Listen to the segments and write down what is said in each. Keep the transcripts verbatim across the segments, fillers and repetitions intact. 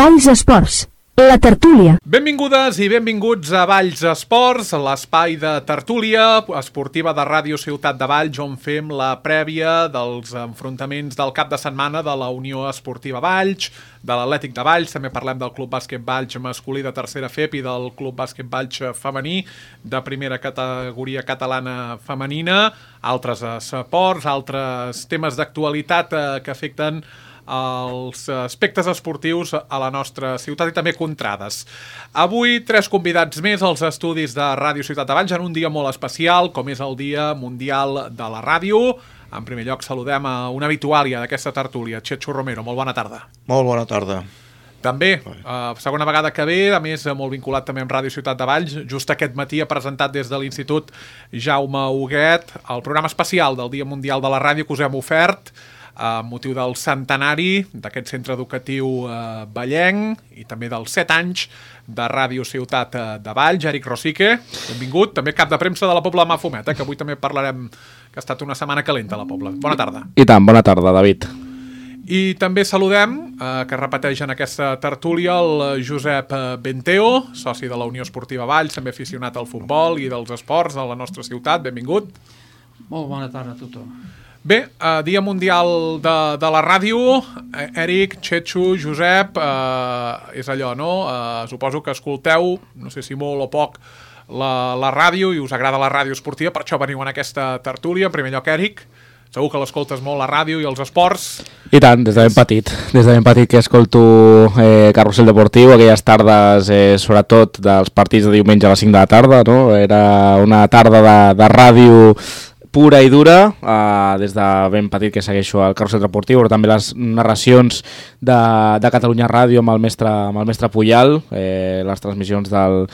Valls Esports, la tertúlia. Benvingudes i benvinguts a Valls Esports, l'espai de tertúlia esportiva de Ràdio Ciutat de Valls, on fem la prèvia dels enfrontaments del cap de setmana de la Unió Esportiva Valls, de l'Atlètic de Valls, també parlem del Club Bàsquet Valls masculí de tercera F E P i del Club Bàsquet Valls femení de primera categoria catalana femenina, altres esports, altres temes d'actualitat eh, que afecten els aspectes esportius a la nostra ciutat i també contrades. Avui tres convidats més als estudis de Ràdio Ciutat de Valls en un dia molt especial, com és el Dia Mundial de la Ràdio. En primer lloc saludem a una habituàlia d'aquesta tertúlia, Chechu Romero. Molt bona tarda. Molt bona tarda. També, uh, segona vegada que ve, a més molt vinculat també amb Ràdio Ciutat de Valls, just aquest matí ha presentat des de l'Institut Jaume Huguet el programa especial del Dia Mundial de la Ràdio que us hem ofert amb motiu del centenari d'aquest centre educatiu eh, vallenc i també dels set anys de Ràdio Ciutat de Valls. Eric Rosique, benvingut, també cap de premsa de la Pobla de Mafumet, eh, que avui també parlarem que ha estat una setmana calenta a la Pobla. Bona tarda. I tant, bona tarda, David. I també saludem, eh, que repeteix en aquesta tertúlia, el Josep Benteo, soci de la Unió Esportiva Valls, també aficionat al futbol i dels esports de la nostra ciutat. Benvingut. Molt bona tarda a tothom. Bé, eh, Dia Mundial de, de la Ràdio, eh, Eric, Chechu, Josep, eh, és allò, no? Eh, suposo que escolteu, no sé si molt o poc, la, la ràdio i us agrada la ràdio esportiva, per això veniu en aquesta tertúlia. En primer lloc, Eric, segur que l'escoltes molt, la ràdio i els esports. I tant, des de ben petit, des de ben petit que escolto eh, Carrusel Deportiu, aquelles tardes, eh, sobretot dels partits de diumenge a les cinc de la tarda, no? Era una tarda de, de ràdio pura i dura, eh, des de ben petit que segueixo el Carrusel Deportiu, però també les narracions de, de Catalunya Ràdio amb el mestre, amb el mestre Puyal, eh, les transmissions del,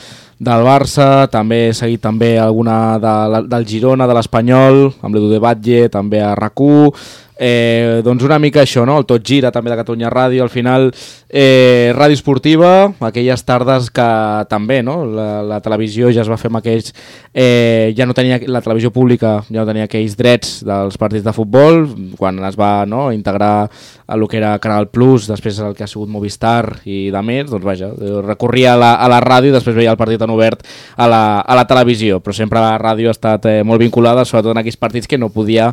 del Barça, també he seguit també alguna de, del Girona, de l'Espanyol, amb l'Edu de Batlle, també a RAC u, eh, doncs una mica això, no? El Tot Gira també de Catalunya Ràdio, al final eh, ràdio esportiva, aquelles tardes que també, no? La, la televisió ja es va fer amb aquells, eh, ja no tenia, la televisió pública ja no tenia aquells drets dels partits de futbol, quan es va, no, integrar a lo que era Canal Plus, després el que ha sigut Movistar i de més, doncs vaja, recorria a la, a la ràdio i després veia el partit en obert a la, a la televisió, però sempre la ràdio ha estat eh, molt vinculada, sobretot en aquells partits que no podia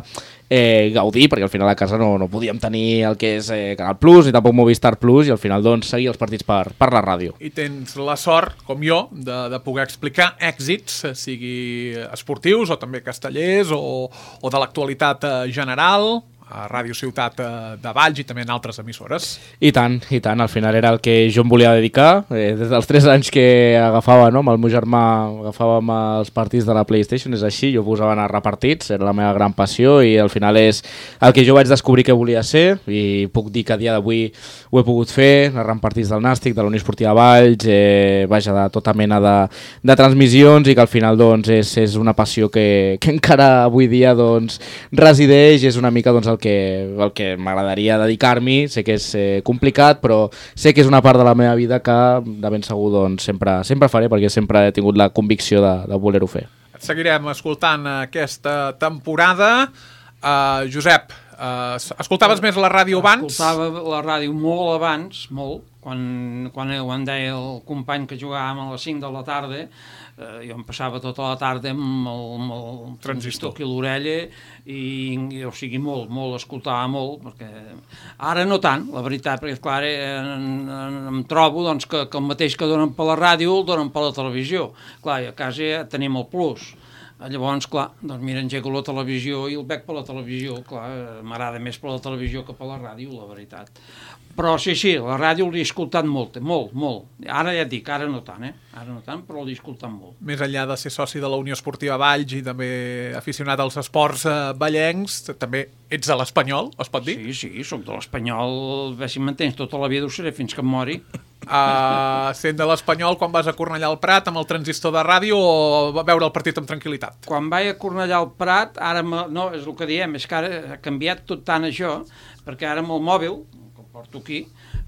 eh, gaudir, perquè al final a casa no, no podíem tenir el que és eh, Canal Plus ni tampoc Movistar Plus, i al final doncs seguir els partits per, per la ràdio. I tens la sort, com jo, de, de poder explicar èxits, sigui esportius o també castellers o, o de l'actualitat eh, general, a Ràdio Ciutat de Valls i també en altres emissores. I tant, i tant, al final era el que jo em volia dedicar, eh, des dels tres anys que agafava, no, amb el meu germà agafàvem els partits de la PlayStation, és així, jo posava a narrar partits, era la meva gran passió i al final és el que jo vaig descobrir que volia ser i puc dir que a dia d'avui ho he pogut fer, narrant partits del Nàstic, de la Unió Esportiva Valls, eh, vaja, de tota mena de, de transmissions i que al final doncs és, és una passió que, que encara avui dia doncs resideix i és una mica doncs el que, el que m'agradaria dedicar-m'hi. Sé que és eh, complicat, però sé que és una part de la meva vida que de ben segur doncs, sempre, sempre faré, perquè sempre he tingut la convicció de, de voler-ho fer. Et seguirem escoltant aquesta temporada. Uh, Josep, uh, escoltaves més la ràdio abans? Escoltava la ràdio molt abans, molt, quan, quan em deia el company que jugàvem a les cinc de la tarda. Eh, jo em passava tota la tarda amb el, amb el transistor aquí a l'orella i, i o sigui, molt, molt, escoltava molt, perquè ara no tant, la veritat, perquè clar, eh, en, en, em trobo doncs, que, que el mateix que donen per la ràdio el donen per la televisió. Clar, i a casa ja tenim el plus. Llavors, clar, doncs mira, engego la televisió i el veig per la televisió, clar, m'agrada més per la televisió que per la ràdio, la veritat. Però sí, sí, la ràdio l'he escoltat molt, molt, molt. Ara ja et dic, ara no tant, eh? Ara no tant, però l'he escoltat molt. Més enllà de ser soci de la Unió Esportiva Valls i també aficionat als esports eh, vallencs, també ets de l'Espanyol, es pot dir? Sí, sí, soc de l'Espanyol, bé, si m'entens, tota la vida ho seré fins que em mori. Uh, sent de l'Espanyol, quan vas a Cornellà al Prat amb el transistor de ràdio o va veure el partit amb tranquil·litat? Quan vaig a Cornellà al Prat, ara, no, és el que diem, és que ara ha canviat tot tant això, perquè ara amb el mòbil, que el porto aquí,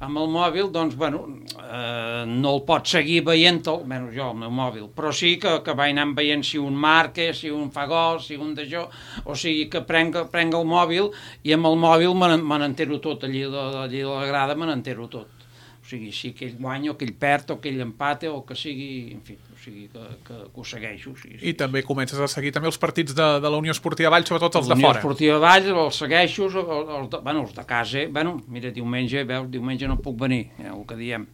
amb el mòbil, doncs, bueno, eh, no el pots seguir veient-te'l, almenys jo, el meu mòbil, però sí que, que vaig anar veient si un marca, si un fa gol, si un d'això, o sigui que prenc, prenc el mòbil i amb el mòbil me n'entero tot, allí, allí a la grada me n'entero tot. O sigui, si que ell guanya o que ell perd o que ell empata o que sigui, en fi, o sigui, que, que, que ho segueixo. Sí, sí. I també comences a seguir també els partits de, de la Unió Esportiva Valls, sobretot els de Unió fora. Esportiva Valls, els segueixo, els, els, de, bueno, els de casa, bueno, mira, diumenge, veus, diumenge no puc venir, eh, el que diem.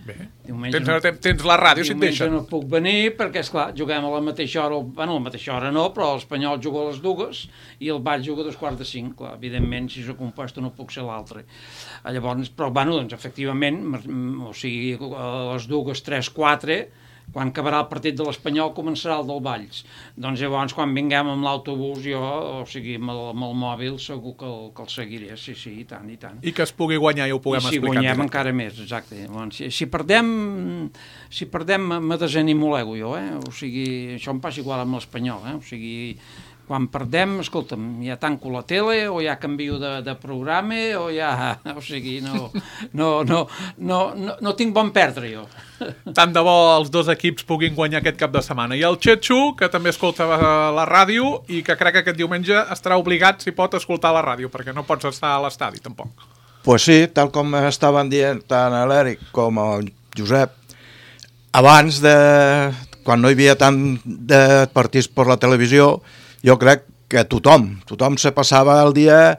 Bé, diumenge tens, no, tens, tens la ràdio si et deixen. Diumenge no puc venir perquè, esclar, juguem a la mateixa hora, bueno, a la mateixa hora no, però l'Espanyol juga a les dues i el Valls juga a dos quarts de cinc, clar, evidentment, si soc un puesto no puc ser l'altre. Llavors, però, bueno, doncs, efectivament, o sigui, a les dues, tres, quatre, quan acabarà el partit de l'Espanyol començarà el del Valls. Doncs llavors, quan vinguem amb l'autobús, jo, o sigui, amb el, amb el mòbil, segur que el, que el seguiré, sí, sí, i tant, i tant. I que es pugui guanyar, ja ho puguem I si explicar. Si guanyem encara més, exacte. Llavors, si, si perdem, si perdem me desanimo l'ego jo, eh? O sigui, això em passa igual amb l'Espanyol, eh? O sigui, quan perdem, escolta'm, ja tanco la tele o ja canvio de, de programa o ja, o sigui, no, no, no, no, no, no tinc bon perdre jo. Tant de bo els dos equips puguin guanyar aquest cap de setmana. I el Txetxo, que també escolta la ràdio i que crec que aquest diumenge estarà obligat, si pot, a escoltar la ràdio, perquè no pots estar a l'estadi, tampoc. Pues sí, tal com estaven dient tant l'Eric com el Josep, abans de... quan no hi havia tant de partits per la televisió, jo crec que tothom, tothom se passava el dia,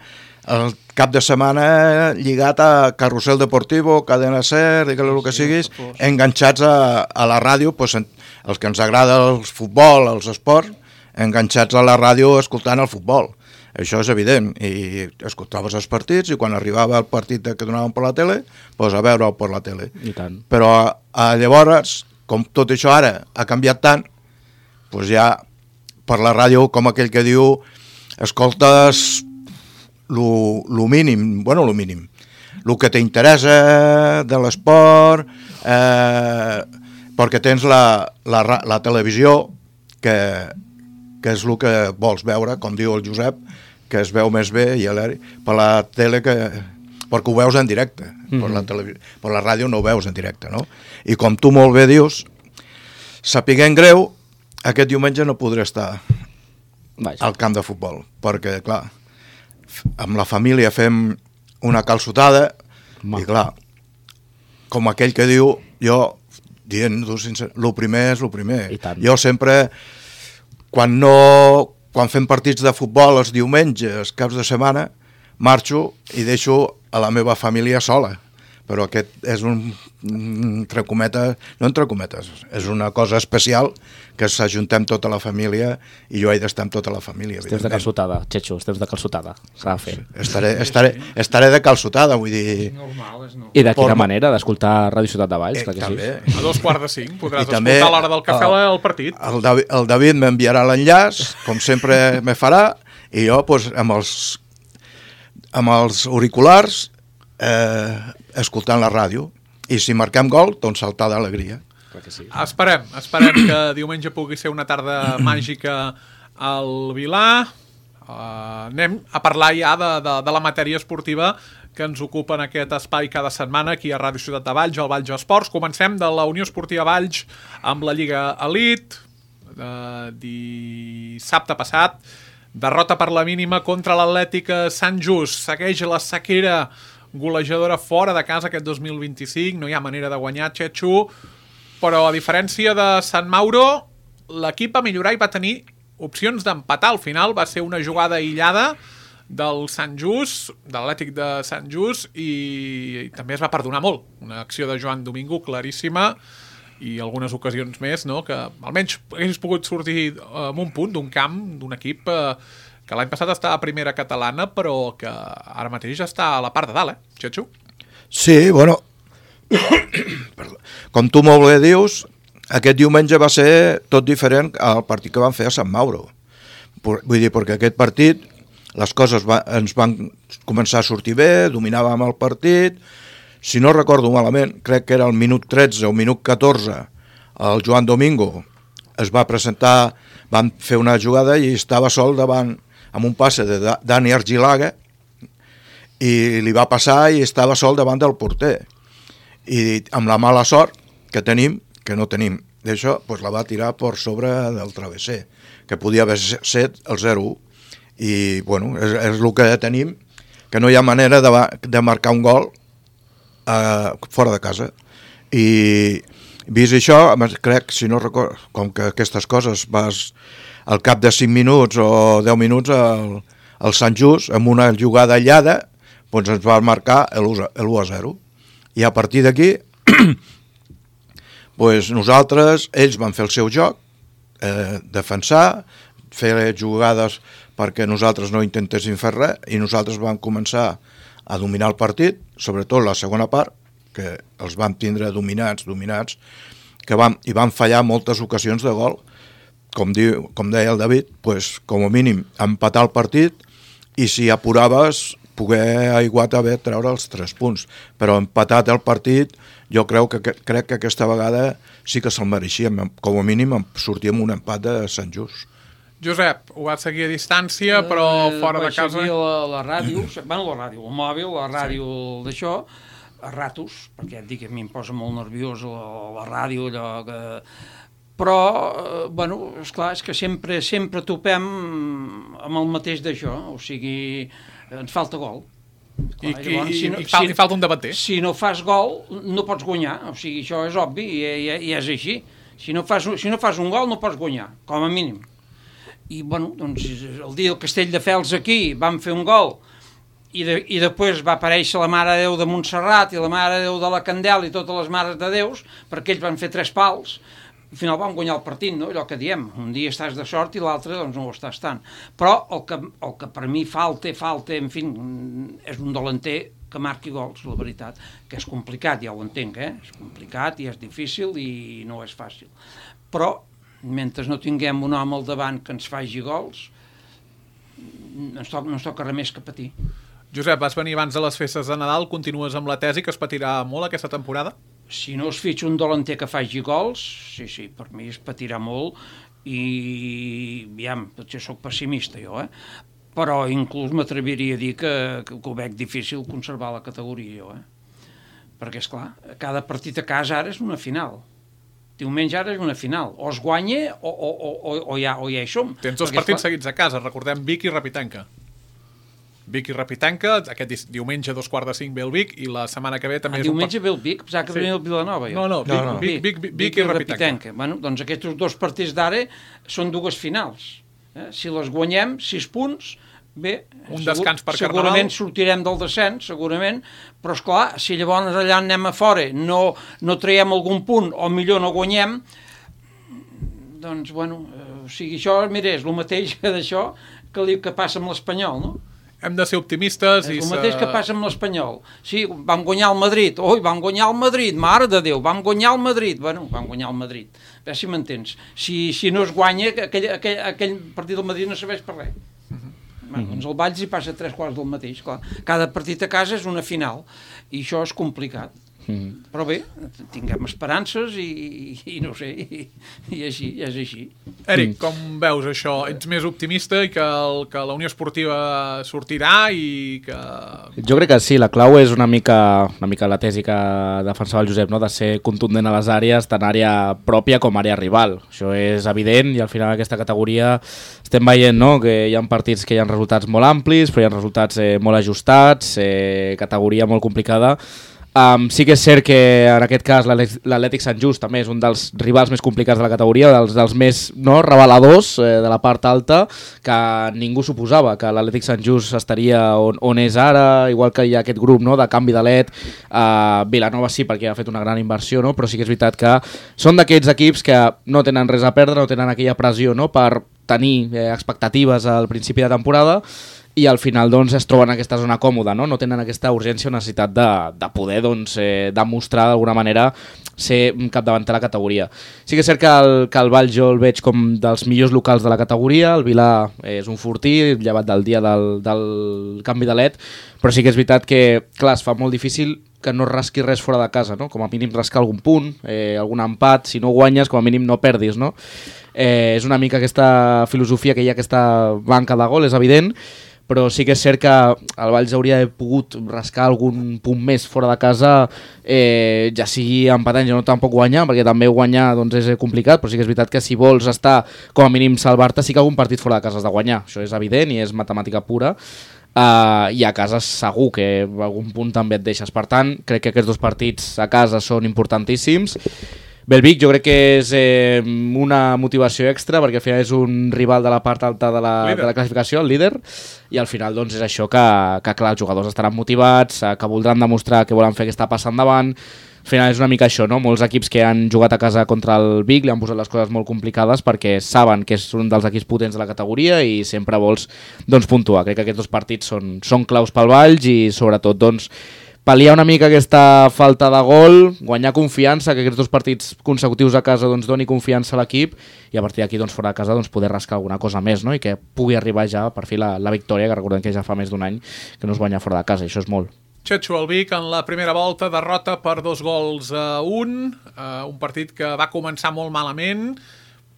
el cap de setmana lligat a Carrusel Deportivo, Cadena Ser, digue-li el que siguis, enganxats a, a la ràdio, pues, els que ens agrada el futbol, els esports, enganxats a la ràdio escoltant el futbol. Això és evident, i escoltaves els partits i quan arribava el partit que donaven per la tele, pues a veure-ho per la tele. I tant. Però a, a llavors, com tot això ara ha canviat tant, pues ja per la ràdio, com aquell que diu, escoltes lo, lo mínim, bueno, lo mínim, el que t'interessa de l'esport, eh, perquè tens la, la, la televisió, que, que és el que vols veure, com diu el Josep, que es veu més bé, i per la tele, que, perquè ho veus en directe, mm-hmm. per, la televisió, per la ràdio no ho veus en directe, no? I com tu molt bé dius, sapiguent greu, aquest diumenge no podré estar Vaja. al camp de futbol, perquè, clar, amb la família fem una calçotada, Ma. i clar, com aquell que diu, jo, dient-ho sincer, el primer és el primer. Jo sempre, quan no, quan fem partits de futbol els diumenges, caps de setmana, marxo i deixo a la meva família sola. Però aquest és un, entre cometes, no entre cometes, és una cosa especial que s'ajuntem tota la família i jo he d'estar amb tota la família. Esteus de calçotada, Txetxo, esteus de calçotada, s'ha de fer. Estaré, estaré, estaré de calçotada, vull dir... És normal, és normal. I de quina Por... manera d'escoltar Ràdio Ciutat de Valls, eh, clar que també. sí. A dos quarts de cinc podràs I escoltar a l'hora del cafè el, el partit. El David, el David m'enviarà l'enllaç, com sempre me farà, i jo pues, amb, els, amb els auriculars eh, escoltant la ràdio, i si marquem gol, doncs saltar d'alegria. Sí. Esperem, esperem que diumenge pugui ser una tarda màgica al Vilà. Uh, anem a parlar ja de, de, de la matèria esportiva que ens ocupa en aquest espai cada setmana aquí a Ràdio Ciutat de Valls, al Valls Esports. Comencem de la Unió Esportiva Valls amb la Lliga Elite, de dissabte passat. Derrota per la mínima contra l'Atlètic Sant Just. Segueix la sequera golejadora fora de casa aquest dos mil vint-i-cinc, no hi ha manera de guanyar, Txetxo, però a diferència de Sant Mauro, l'equip va millorar i va tenir opcions d'empatar. Al final va ser una jugada aïllada del Sant Just, de l'Atlètic de Sant Just, i, i també es va perdonar molt. Una acció de Joan Domingo claríssima i algunes ocasions més, no? Que almenys hagués pogut sortir amb un punt d'un camp, d'un equip eh, que l'any passat estava a primera catalana, però que ara mateix està a la part de dalt, eh, Txetxo? Sí, bueno, com tu molt bé dius, aquest diumenge va ser tot diferent al partit que van fer a Sant Mauro. Vull dir, perquè aquest partit, les coses va, ens van començar a sortir bé, dominàvem el partit, si no recordo malament, crec que era el minut tretze o minut catorze, el Joan Domingo es va presentar, van fer una jugada i estava sol davant, amb un passe de Dani Argilaga, i li va passar i estava sol davant del porter. I amb la mala sort que tenim, que no tenim d'això, doncs la va tirar per sobre del travesser, que podia haver set el zero u. I, bueno, és, és el que tenim, que no hi ha manera de, de marcar un gol eh, fora de casa. I vist això, crec, si no recordo, com que aquestes coses vas al cap de cinc minuts o deu minuts al, al Sant Just, amb una jugada aïllada, doncs ens va marcar l'u a zero. I a partir d'aquí, doncs nosaltres, ells van fer el seu joc, eh, defensar, fer jugades perquè nosaltres no intentéssim fer res, i nosaltres vam començar a dominar el partit, sobretot la segona part, que els vam tindre dominats, dominats, que vam, i van fallar moltes ocasions de gol, com, diu, com deia el David, pues, com a mínim empatar el partit, i si apuraves poder aiguat haver treure els tres punts, però empatat el partit jo crec que, crec que aquesta vegada sí que se'l mereixíem, com a mínim sortíem un empat de Sant Just. Josep, ho vas seguir a distància, però fora eh, de casa... Vaig seguir la, la ràdio, bueno, la ràdio, el mòbil, la ràdio sí. D'això, a ratos, perquè et dic que a mi em posa molt nerviós la, la ràdio, allò que... Però, eh, bueno, esclar, és que sempre, sempre topem amb el mateix d'això, o sigui, ens falta gol. I, clar, llavors, i, si no, i, fal, si, i falta un davanter. Si no fas gol, no pots guanyar, o sigui, això és obvi i, i, i és així. Si no, fas, si no fas un gol no pots guanyar, com a mínim. I, bueno, doncs, el dia del Castelldefels aquí vam fer un gol i, de, i després va aparèixer la Mare de Déu de Montserrat i la Mare de Déu de la Candela i totes les Mares de Déus, perquè ells van fer tres pals. Al final vam guanyar el partit, no? Allò que diem, un dia estàs de sort i l'altre doncs no ho estàs tant. Però el que, el que per mi falta, falta, en fi, és un delanter que marqui gols, la veritat, que és complicat, ja ho entenc, eh? És complicat i és difícil i no és fàcil. Però, mentre no tinguem un home al davant que ens faci gols, ens toca, no ens toca res més que patir. Josep, vas venir abans de les festes de Nadal, continues amb la tesi que es patirà molt aquesta temporada? Si no es fitxa un delanter que faci gols, sí, sí, per mi es patirà molt i, aviam, potser soc pessimista jo, eh? Però inclús m'atreviria a dir que, que ho veig difícil conservar la categoria jo, eh? Perquè, esclar, cada partit a casa ara és una final. Diumenge ara és una final. O es guanya o, o, o, o, ja, o ja hi som. Tens dos partits seguits a casa, recordem Vic i Repitanca. Vic i Repitanca, aquest diumenge a dos quarts de cinc ve el Vic i la setmana que ve també... Ah, és diumenge un... ve el Vic? Pensava que sí. Ve el Vilanova. Jo. No, no, Vic, no, no. Vic, Vic, Vic, Vic i, i Repitanca. Repitanca. Bueno, doncs aquests dos partits d'ara són dues finals. Eh? Si les guanyem, sis punts, bé... Un segur, descans per Carnaval. Segurament sortirem del descens, segurament, però esclar, si llavors allà anem a fora, no, no traiem algun punt o millor no guanyem, doncs, bueno, eh, o sigui, això, mira, és el mateix que d'això que, que passa amb l'Espanyol, no? Hem de ser optimistes. És i el mateix que passa amb l'Espanyol. Sí, vam guanyar el Madrid. Ui, vam guanyar el Madrid, mare de Déu, vam guanyar el Madrid. Bueno, vam guanyar el Madrid. A veure si m'entens. Si, si no es guanya, aquell, aquell, aquell partit del Madrid no serveix per res. Uh-huh. Bueno, doncs el Valls hi passa tres quarts del mateix, clar. Cada partit a casa és una final, i això és complicat. Mm. Però bé, tinguem esperances i, i, i no sé, i, i així, és així. Eric, com veus això? Ets més optimista i que, el, que la Unió Esportiva sortirà i que... Jo crec que sí, la clau és una mica, una mica la tesi que defensava el Josep, no? De ser contundent a les àrees, tant àrea pròpia com àrea rival. Això és evident i al final aquesta categoria estem veient, no? Que hi ha partits que hi ha resultats molt amplis, però hi ha resultats eh, molt ajustats, eh, categoria molt complicada. Um, sí que és cert que en aquest cas l'Atlètic Sant Just també és un dels rivals més complicats de la categoria, dels, dels més no, reveladors eh, de la part alta, que ningú suposava que l'Atlètic Sant Just estaria on, on és ara, igual que hi ha aquest grup no, de canvi d'alet. uh, Vilanova sí, perquè ha fet una gran inversió, no? Però sí que és veritat que són d'aquests equips que no tenen res a perdre, no tenen aquella pressió no, per tenir eh, expectatives al principi de temporada, i al final doncs, es troben en aquesta zona còmoda, no? No tenen aquesta urgència o necessitat de, de poder doncs, eh, demostrar d'alguna manera ser capdavanter de la categoria. Sí que és cert que el, que el Vall jo el veig com dels millors locals de la categoria, el Vilà és un fortí, llevat del dia del, del canvi de led, però sí que és veritat que, clar, es fa molt difícil que no rasqui res fora de casa, no? Com a mínim rascar algun punt, eh, algun empat, si no guanyes, com a mínim no perdis, no? Eh, és una mica aquesta filosofia que hi ha, aquesta banca de gol, és evident, però sí que és cert que el Valls hauria pogut rascar algun punt més fora de casa, eh, ja sigui empatant, ja no tampoc guanyar, perquè també guanyar doncs, és complicat, però sí que és veritat que si vols estar com a mínim salvar-te, sí que algun partit fora de casa has de guanyar, això és evident i és matemàtica pura. Uh, i a casa segur que a algun punt també et deixes. Per tant, crec que aquests dos partits a casa són importantíssims. Belvic jo crec que és eh, una motivació extra, perquè al final és un rival de la part alta de la, de la classificació, el líder, i al final doncs, és això que, que clar, els jugadors estaran motivats, que voldran demostrar que volen fer aquesta passa endavant. Al final és una mica això, no? Molts equips que han jugat a casa contra el Vic li han posat les coses molt complicades perquè saben que és un dels equips potents de la categoria i sempre vols doncs, puntuar. Crec que aquests dos partits són, són claus pel Valls i sobretot doncs, pal·liar una mica aquesta falta de gol, guanyar confiança, que aquests dos partits consecutius a casa doncs, doni confiança a l'equip i a partir d'aquí doncs, fora de casa doncs, poder rascar alguna cosa més, no? I que pugui arribar ja per fi la, la victòria, que recordem que ja fa més d'un any que no es guanya fora de casa, i això és molt. Txetxo, el Vic en la primera volta derrota per dos gols a un, uh, un partit que va començar molt malament,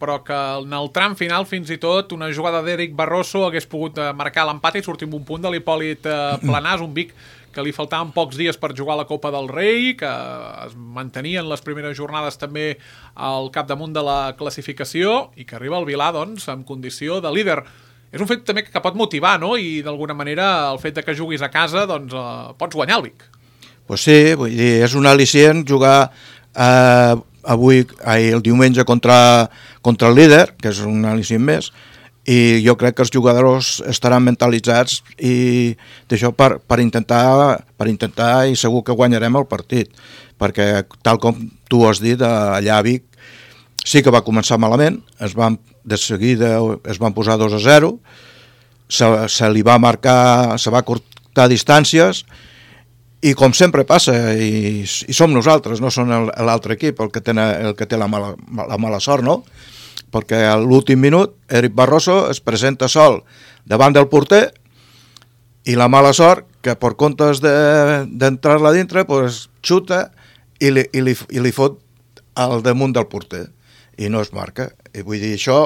però que en el tram final fins i tot una jugada d'Eric Barroso hagués pogut marcar l'empat i sortir amb un punt de l'Hipòlit uh, Planàs, un Vic que li faltaven pocs dies per jugar a la Copa del Rei, que es mantenien les primeres jornades també al capdamunt de la classificació i que arriba al Vilà doncs, en condició de líder. És un fet també que pot motivar, no? I d'alguna manera el fet de que juguis a casa doncs eh, pots guanyar el Vic. Pues sí, vull dir, és un al·licient jugar eh, avui, ahir, el diumenge contra, contra el líder, que és un al·licient més, i jo crec que els jugadors estaran mentalitzats i d'això per, per, intentar, per intentar i segur que guanyarem el partit, perquè tal com tu has dit, allà a Vic sí que va començar malament, es van, de seguida es van posar dos a zero, se, se li va marcar, se va cortar distàncies, i com sempre passa, i, i som nosaltres, no són l'altre equip el que, té, el que té la mala, la mala sort, no? Perquè a l'últim minut Eric Barroso es presenta sol davant del porter i la mala sort que per comptes d'entrar-la de, dintre pues, xuta i li, i, li, i li fot al damunt del porter i no es marca. I vull dir, això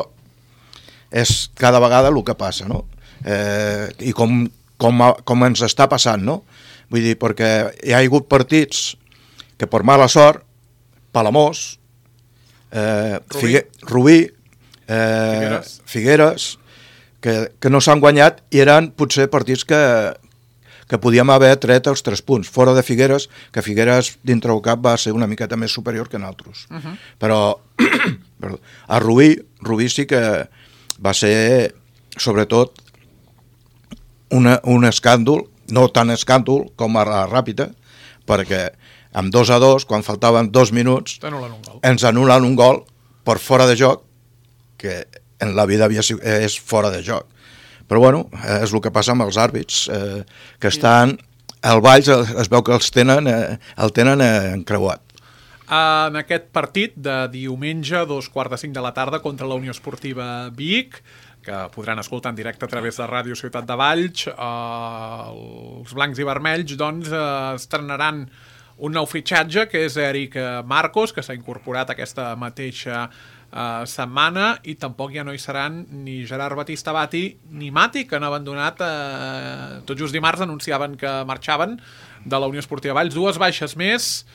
és cada vegada el que passa, no? Eh, I com, com, com ens està passant, no? Vull dir, perquè hi ha hagut partits que per mala sort, Palamós, eh, Rubí, Figue, Rubí eh, Figueres, Figueres que, que no s'han guanyat i eren potser partits que, que podíem haver tret els tres punts, fora de Figueres, que Figueres dintre el cap va ser una miqueta més superior que nosaltres. Uh -huh. Però perdó, a Rubí, Rubí sí que va ser, sobretot, una, un escàndol, no tan escàndol com a la Ràpita, perquè amb dos a dos, quan faltaven dos minuts, ens anulen un gol per fora de joc, que en la vida havia, és fora de joc. Però bueno, és el que passa amb els àrbits, eh, que estan, al Valls es veu que els tenen, eh, el tenen eh, encreuat. En aquest partit de diumenge, a dos quarts de cinc de la tarda, contra la Unió Esportiva Vic, que podran escoltar en directe a través de Ràdio Ciutat de Valls, eh, els blancs i vermells doncs, eh, estrenaran un nou fitxatge, que és Eric Marcos, que s'ha incorporat aquesta mateixa Uh, setmana, i tampoc ja no hi seran ni Gerard Batista Bati ni Mati, que han abandonat uh, tot just dimarts anunciaven que marxaven de la Unió Esportiva Valls. Dues baixes més,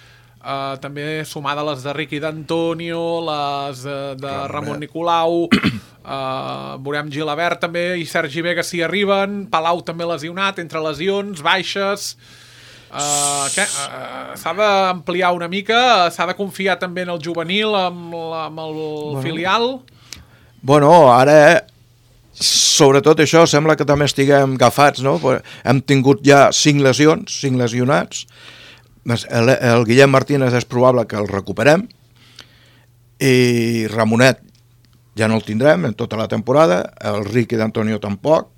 uh, també sumada les de Riqui d'Antonio, les uh, de Ramon Nicolau, uh, veurem Gilabert també, i Sergi Vega si arriben, Palau també lesionat, entre lesions, baixes. Uh, què? Uh, s'ha d'ampliar una mica, s'ha de confiar també en el juvenil, amb, la, amb el bueno. filial. Bueno, ara sobretot això sembla que també estiguem agafats, no? Hem tingut ja cinc lesions, cinc lesionats, el, el Guillem Martínez és probable que el recuperem, i Ramonet ja no el tindrem en tota la temporada, el Riqui d'Antonio tampoc,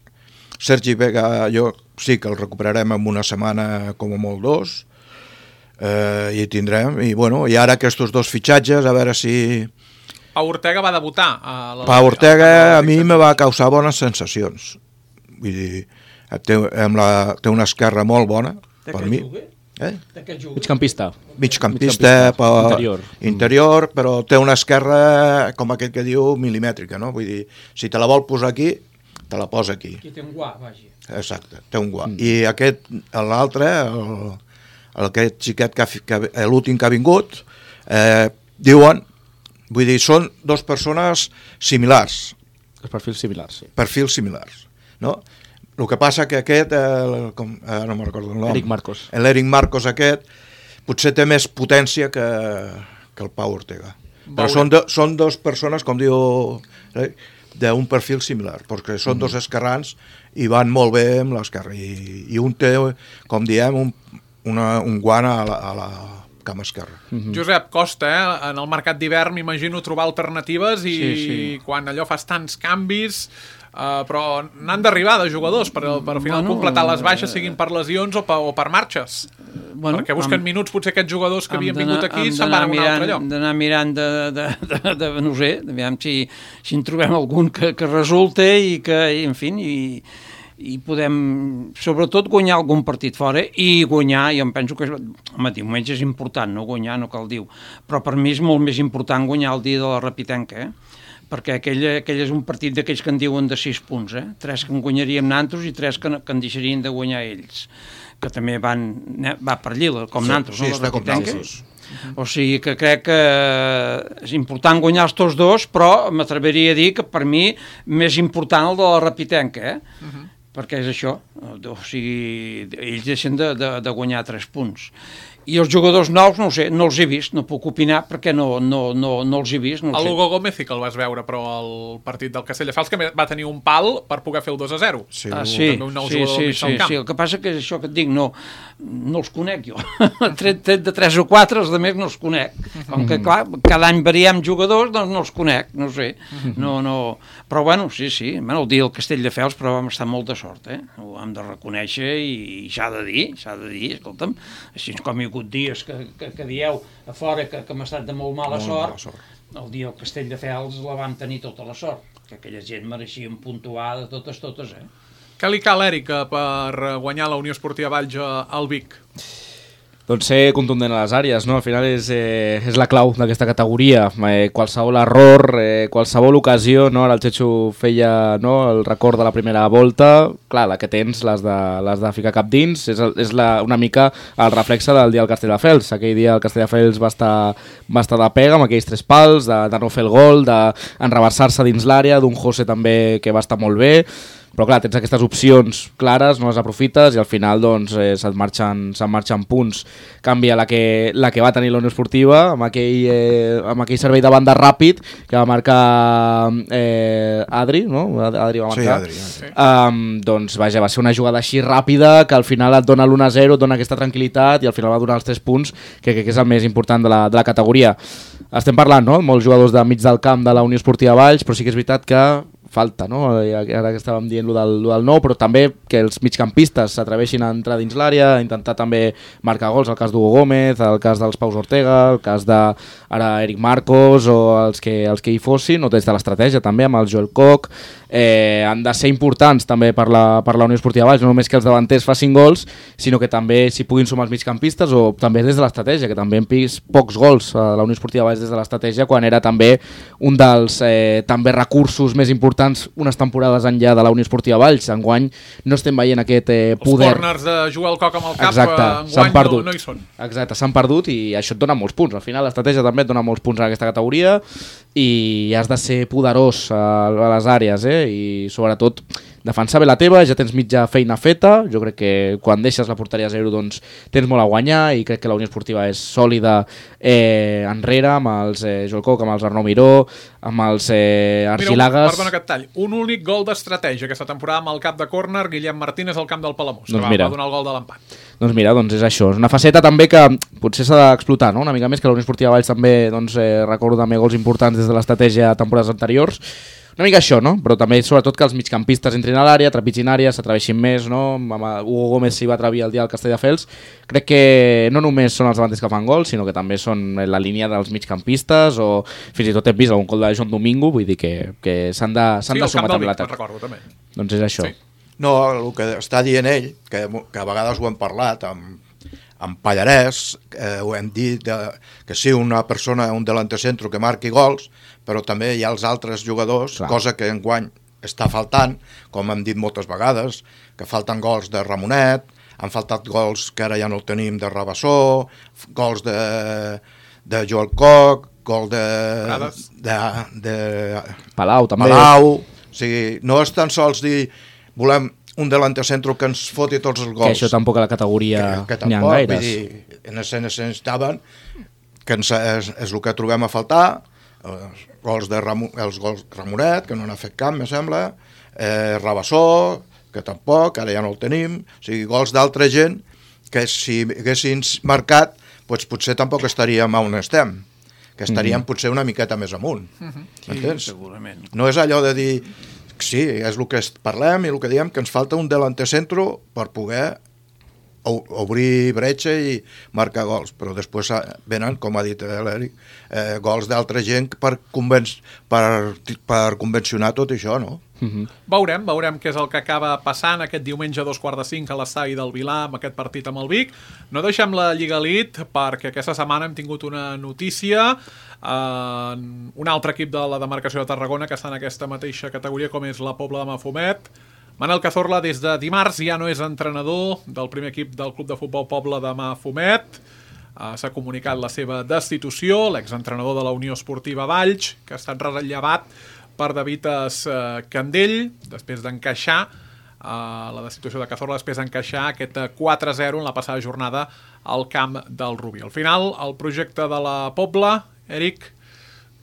Sergi Vega jo sí que el recuperarem en una setmana com a molt dos, eh, i tindrem, i bueno, i ara aquests dos fitxatges, a veure si... Pau Ortega va debutar. A la... Pau Ortega a mi me va causar bones sensacions, vull dir, té, la, té una esquerra molt bona, de per mi. Eh? Migcampista. Migcampista, per... interior. interior, però té una esquerra, com aquell que diu, milimètrica, no? Vull dir, si te la vol posar aquí, te la posa aquí. Aquí té un guà, vagi. Exacte, té un guà. Mm. I aquest, l'altre, el, aquest xiquet, que, que l'últim que ha vingut, eh, diuen, vull dir, són dues persones similars. Els perfils similars, sí. Perfils similars, no? el que passa que aquest, el, com, eh, no me'n recordo el nom, Eric Marcos. l'Eric Marcos aquest, potser té més potència que, que el Pau Ortega. Però són, de, són dos persones, com diu, eh, d'un perfil similar, perquè són mm. dos esquerrans i van molt bé amb l'esquerra. I, I un té, com diem, un, una, un guant a la, a la cama esquerra. Mm-hmm. Josep, costa, eh? En el mercat d'hivern m'imagino trobar alternatives i sí, sí. quan allò fas tants canvis... Uh, però n'han d'arribar de jugadors per, per al final bueno, completar les baixes, siguin per lesions o per, o per marxes. Bueno, perquè busquen amb, minuts potser aquests jugadors que havien vingut aquí se'n van a un altre lloc. Hem d'anar mirant de, de, de, de, de no sé, aviam si, si en trobem algun que, que resulte i que, i, en fi, i, i podem sobretot guanyar algun partit fora i guanyar, jo em penso que home, diumenge és important, no guanyar, no cal dir, però per mi és molt més important guanyar el dia de la Rapitenca, eh? Perquè aquell, aquell és un partit d'aquells que en diuen de sis punts, eh? Tres que en guanyaríem nantos i tres que, que en deixarien de guanyar ells, que també van, va per Llila, com sí, nantos, sí, no? Està com nantos. O sigui que crec que és important guanyar els tots dos, però m'atreviria a dir que per mi més important el de la Rapitenca, eh? Uh-huh. Perquè és això, o sigui, ells deixen de, de, de guanyar tres punts. I els jugadors nous, no ho sé, no els he vist, no puc opinar perquè no, no, no, no els he vist. No el Hugo Gómez sí que el vas veure, però el partit del Castelldefels que va tenir un pal per poder fer el dos a zero. Sí, ah, sí, un nou sí, sí, sí, sí, el que passa que és això que et dic, no, no els conec jo. tret, tret de tres o quatre, els altres no els conec. Com que, clar, cada any variem jugadors, doncs no els conec, no sé. No, no... Però, bueno, sí, sí, bueno, el dia del Castelldefels, però vam estar molt de sort, eh? Ho hem de reconèixer i s'ha de dir, s'ha de dir, escolta'm, així com hi ha hagut dies que, que, que dieu a fora que, que hem estat de molt mala, molt sort, mala sort, el dia del Castelldefels la vam tenir tota la sort, que aquella gent mereixien puntuar de totes, totes, eh? Què li cal, Eric, per guanyar la Unió Esportiva Valls al Vic? Doncs ser contundent a les àrees, no? Al final és, eh, és la clau d'aquesta categoria. Eh, qualsevol error, eh, qualsevol ocasió, no? Ara el Xexo feia, no, el record de la primera volta, clar, la que tens l'has de, l'has de ficar cap dins, és, el, és la, una mica el reflexe del dia del Castelldefels. Aquell dia el Castelldefels va estar, va estar de pega amb aquells tres pals, de, de no fer el gol, d'enreversar-se dins l'àrea, d'un José també que va estar molt bé. Però clar, tens aquestes opcions clares, no les aprofites i al final doncs, eh, se't marxen, se't marxen punts. Canvia la que, la que va tenir la Unió Esportiva amb aquell, eh, amb aquell servei de banda ràpid que va marcar eh, Adri, no? Adri va marcar. Sí, Adri. Sí. Um, doncs vaja, va ser una jugada així ràpida que al final et dona l'u a zero, et dona aquesta tranquil·litat i al final va donar els tres punts, que crec que és el més important de la, de la categoria. Estem parlant, no?, molts jugadors de mig del camp de la Unió Esportiva Valls, però sí que és veritat que falta, no? Ara que estàvem dient lo del, lo del nou, però també que els migcampistes s'atreveixin a entrar dins l'àrea, a intentar també marcar gols, el cas d'Hugo Gómez, el cas dels Paus Ortega, el cas de ara Eric Marcos o els que, els que hi fossin, o des de l'estratègia també amb el Joel Koch, eh, han de ser importants també per la, per la Unió Esportiva Valls, no només que els davanters facin gols, sinó que també s'hi puguin sumar els migcampistes o també des de l'estratègia, que també hem vist pocs gols a la Unió Esportiva Valls des de l'estratègia quan era també un dels eh, també recursos més importants unes temporades enllà de la Unió Esportiva Valls. Enguany no estem veient aquest eh, poder. Els corners de jugar el Coc amb el cap, exacte, enguany no, no hi són. Exacte, s'han perdut i això et dona molts punts. Al final l'estratègia també et dona molts punts en aquesta categoria i has de ser poderós a, a les àrees, eh? I sobretot defensar bé la teva, ja tens mitja feina feta, jo crec que quan deixes la porteria a zero doncs tens molt a guanyar i crec que la Unió Esportiva és sòlida eh, enrere amb els eh, Joel Koch, amb els Arnau Miró, amb els eh, Argilagas. Mira, perdona que et tall, un únic gol d'estratègia aquesta temporada amb el cap de córner, Guillem Martínez al camp del Palamós, doncs que va, va donar el gol de l'empat. Doncs mira, doncs és això, és una faceta també que potser s'ha d'explotar, no? Una mica més, que la Unió Esportiva Valls també, doncs, eh, recordo també gols importants des de l'estratègia a temporades anteriors. Una mica això, no? Però també sobretot que els migcampistes entrin a l'àrea, trepitgin àrea, s'atreveixin més, no? Hugo Gómez s'hi va atrevir el dia del Castelldefels. Crec que no només són els davanters que fan gols, sinó que també són la línia dels migcampistes o fins i tot hem vist algun gol de Joan Domingo, vull dir que, que s'han de, s'han sí, de sumar també l'atac. Doncs és això. Sí. No, el que està dient ell, que, que a vegades ho hem parlat amb, amb Pallarès, eh, ho hem dit de, que sí, una persona, un delantecentro que marqui gols, però també hi ha els altres jugadors, clar, cosa que enguany està faltant, com hem dit moltes vegades, que falten gols de Ramonet, han faltat gols que ara ja no el tenim de Rabassó, gols de, de Joel Koch, gol de, de, de Palau també. Palau. O sigui, no és tan sols dir volem un delantecentro que ens foti tots els gols. Que això tampoc a la categoria que, que n'hi ha tampoc, gaires. Vull dir, en escenes estaven, que ens, és, és el que trobem a faltar, els gols de Ram, els gols Ramonet, que no n'ha fet cap, me sembla, eh, Rabassó, que tampoc, ara ja no el tenim, o sigui, gols d'altra gent que si haguessin marcat, doncs potser tampoc estaríem on estem, que estaríem mm-hmm. potser una miqueta més amunt. Mm-hmm. M'entens? Sí, segurament. No és allò de dir, sí, és el que parlem i el que diem, que ens falta un delantecentro per poder obrir bretxa i marcar gols, però després venen, com ha dit l'Eric, eh, gols d'altra gent per, conven per, per convencionar tot això, no? Mm-hmm. Veurem, veurem què és el que acaba passant aquest diumenge a dos quarts de cinc a l'estadi del Vilà amb aquest partit amb el Vic. No deixem la Lliga Elite perquè aquesta setmana hem tingut una notícia, eh, un altre equip de la demarcació de Tarragona que està en aquesta mateixa categoria com és la Pobla de Mafumet. Manel Cazorla des de dimarts ja no és entrenador del primer equip del Club de Futbol Pobla de Mafumet. Uh, s'ha comunicat la seva destitució, l'exentrenador de la Unió Esportiva Valls, que ha estat rellevat per David uh, Candell, després d'encaixar uh, la destitució de Cazorla, després d'encaixar aquest quatre a zero en la passada jornada al camp del Rubí. Al final, el projecte de la Pobla, Eric,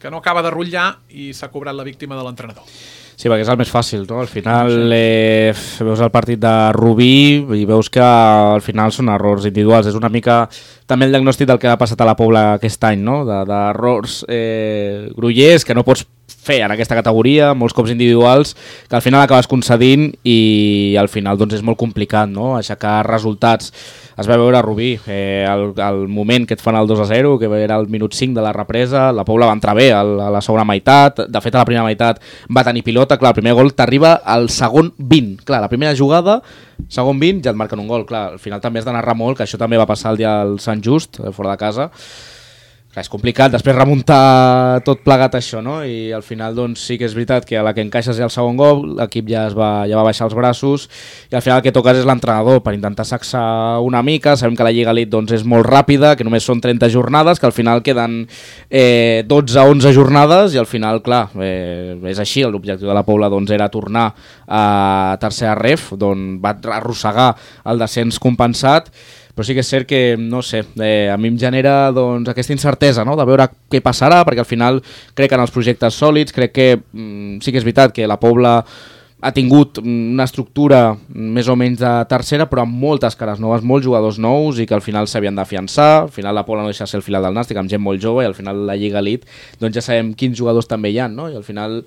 que no acaba de rotllar i s'ha cobrat la víctima de l'entrenador. Sí, perquè és el més fàcil, no? Al final eh, veus el partit de Rubí i veus que al final són errors individuals. És una mica també el diagnòstic del que ha passat a la Pobla aquest any, no? D'errors eh, grollers que no pots fer en aquesta categoria, molts cops individuals, que al final acabes concedint i al final doncs, és molt complicat, no? Aixecar resultats. Es va veure a Rubí, eh, el, el moment que et fan el dos a zero, que era el minut cinc de la represa, la Pobla va entrar bé a la segona meitat, de fet a la primera meitat va tenir pilota, clar, el primer gol t'arriba al segon vint, clar, la primera jugada, segon vint, ja et marquen un gol, clar, al final també has de narrar molt, que això també va passar el dia del Sant Just, fora de casa. Clar, és complicat després remuntar tot plegat això, no? I al final doncs sí que és veritat que a la que encaixes ja el segon gol l'equip ja, es va, ja va baixar els braços i al final el que toques és l'entrenador per intentar sacsar una mica. Sabem que la Lliga Elite doncs, és molt ràpida, que només són trenta jornades, que al final queden eh, dotze a onze jornades i al final, clar, eh, és així. L'objectiu de la Pobla doncs, era tornar a tercera ref, d'on va arrossegar el descens compensat. Però sí que és cert que, no sé, eh, a mi em genera doncs, aquesta incertesa, no?, de veure què passarà, perquè al final crec en els projectes sòlids, crec que mm, sí que és veritat que la Pobla ha tingut una estructura més o menys de tercera, però amb moltes cares noves, molts jugadors nous i que al final s'havien d'afiançar. Al final la Pobla no deixa ser el filar del Nàstic, amb gent molt jove, i al final la Lliga Elite doncs ja sabem quins jugadors també hi ha, no? I al final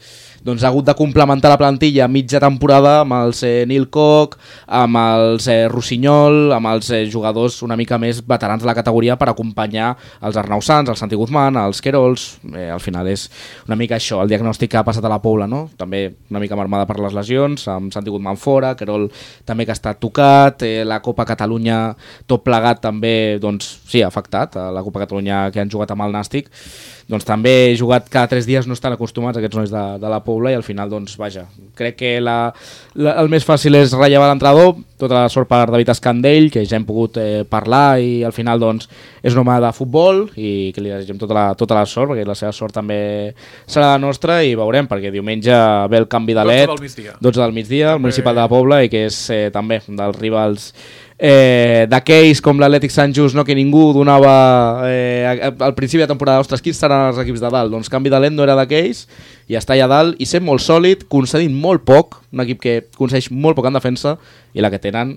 doncs, ha hagut de complementar la plantilla mitja temporada amb els eh, Nil Koch, amb els eh, Rossinyol, amb els eh, jugadors una mica més veterans de la categoria per acompanyar els Arnau Sans, els Santi Guzmán, els Querols. Eh, al final és una mica això, el diagnòstic que ha passat a la Pobla, no? També una mica marmada per les lesions, amb Santi Guzmán fora, Querol també que ha estat tocat, eh, la Copa Catalunya tot plegat també, doncs sí, ha afectat a la Copa Catalunya que han jugat amb el Nàstic, doncs també he jugat cada tres dies, no estan acostumats aquests nois de, de la Pobla i al final, doncs vaja, crec que la, la, el més fàcil és rellevar l'entrenador, tota la sort per David Escandell, que ja hem pogut eh, parlar i al final doncs és un home de futbol i que li desitgem tota la, tota la sort, perquè la seva sort també serà la nostra i veurem, perquè diumenge ve el canvi de L E D, dotze del migdia, el municipal de la Pobla, i que és eh, també dels rivals eh, d'aquells com l'Atlètic Sant Just, no, que ningú donava eh, al principi de temporada, ostres, quins seran els equips de dalt? Doncs canvi de L E D no era d'aquells i està allà dalt i sent molt sòlid, concedint molt poc, un equip que concedeix molt poc en defensa i la que tenen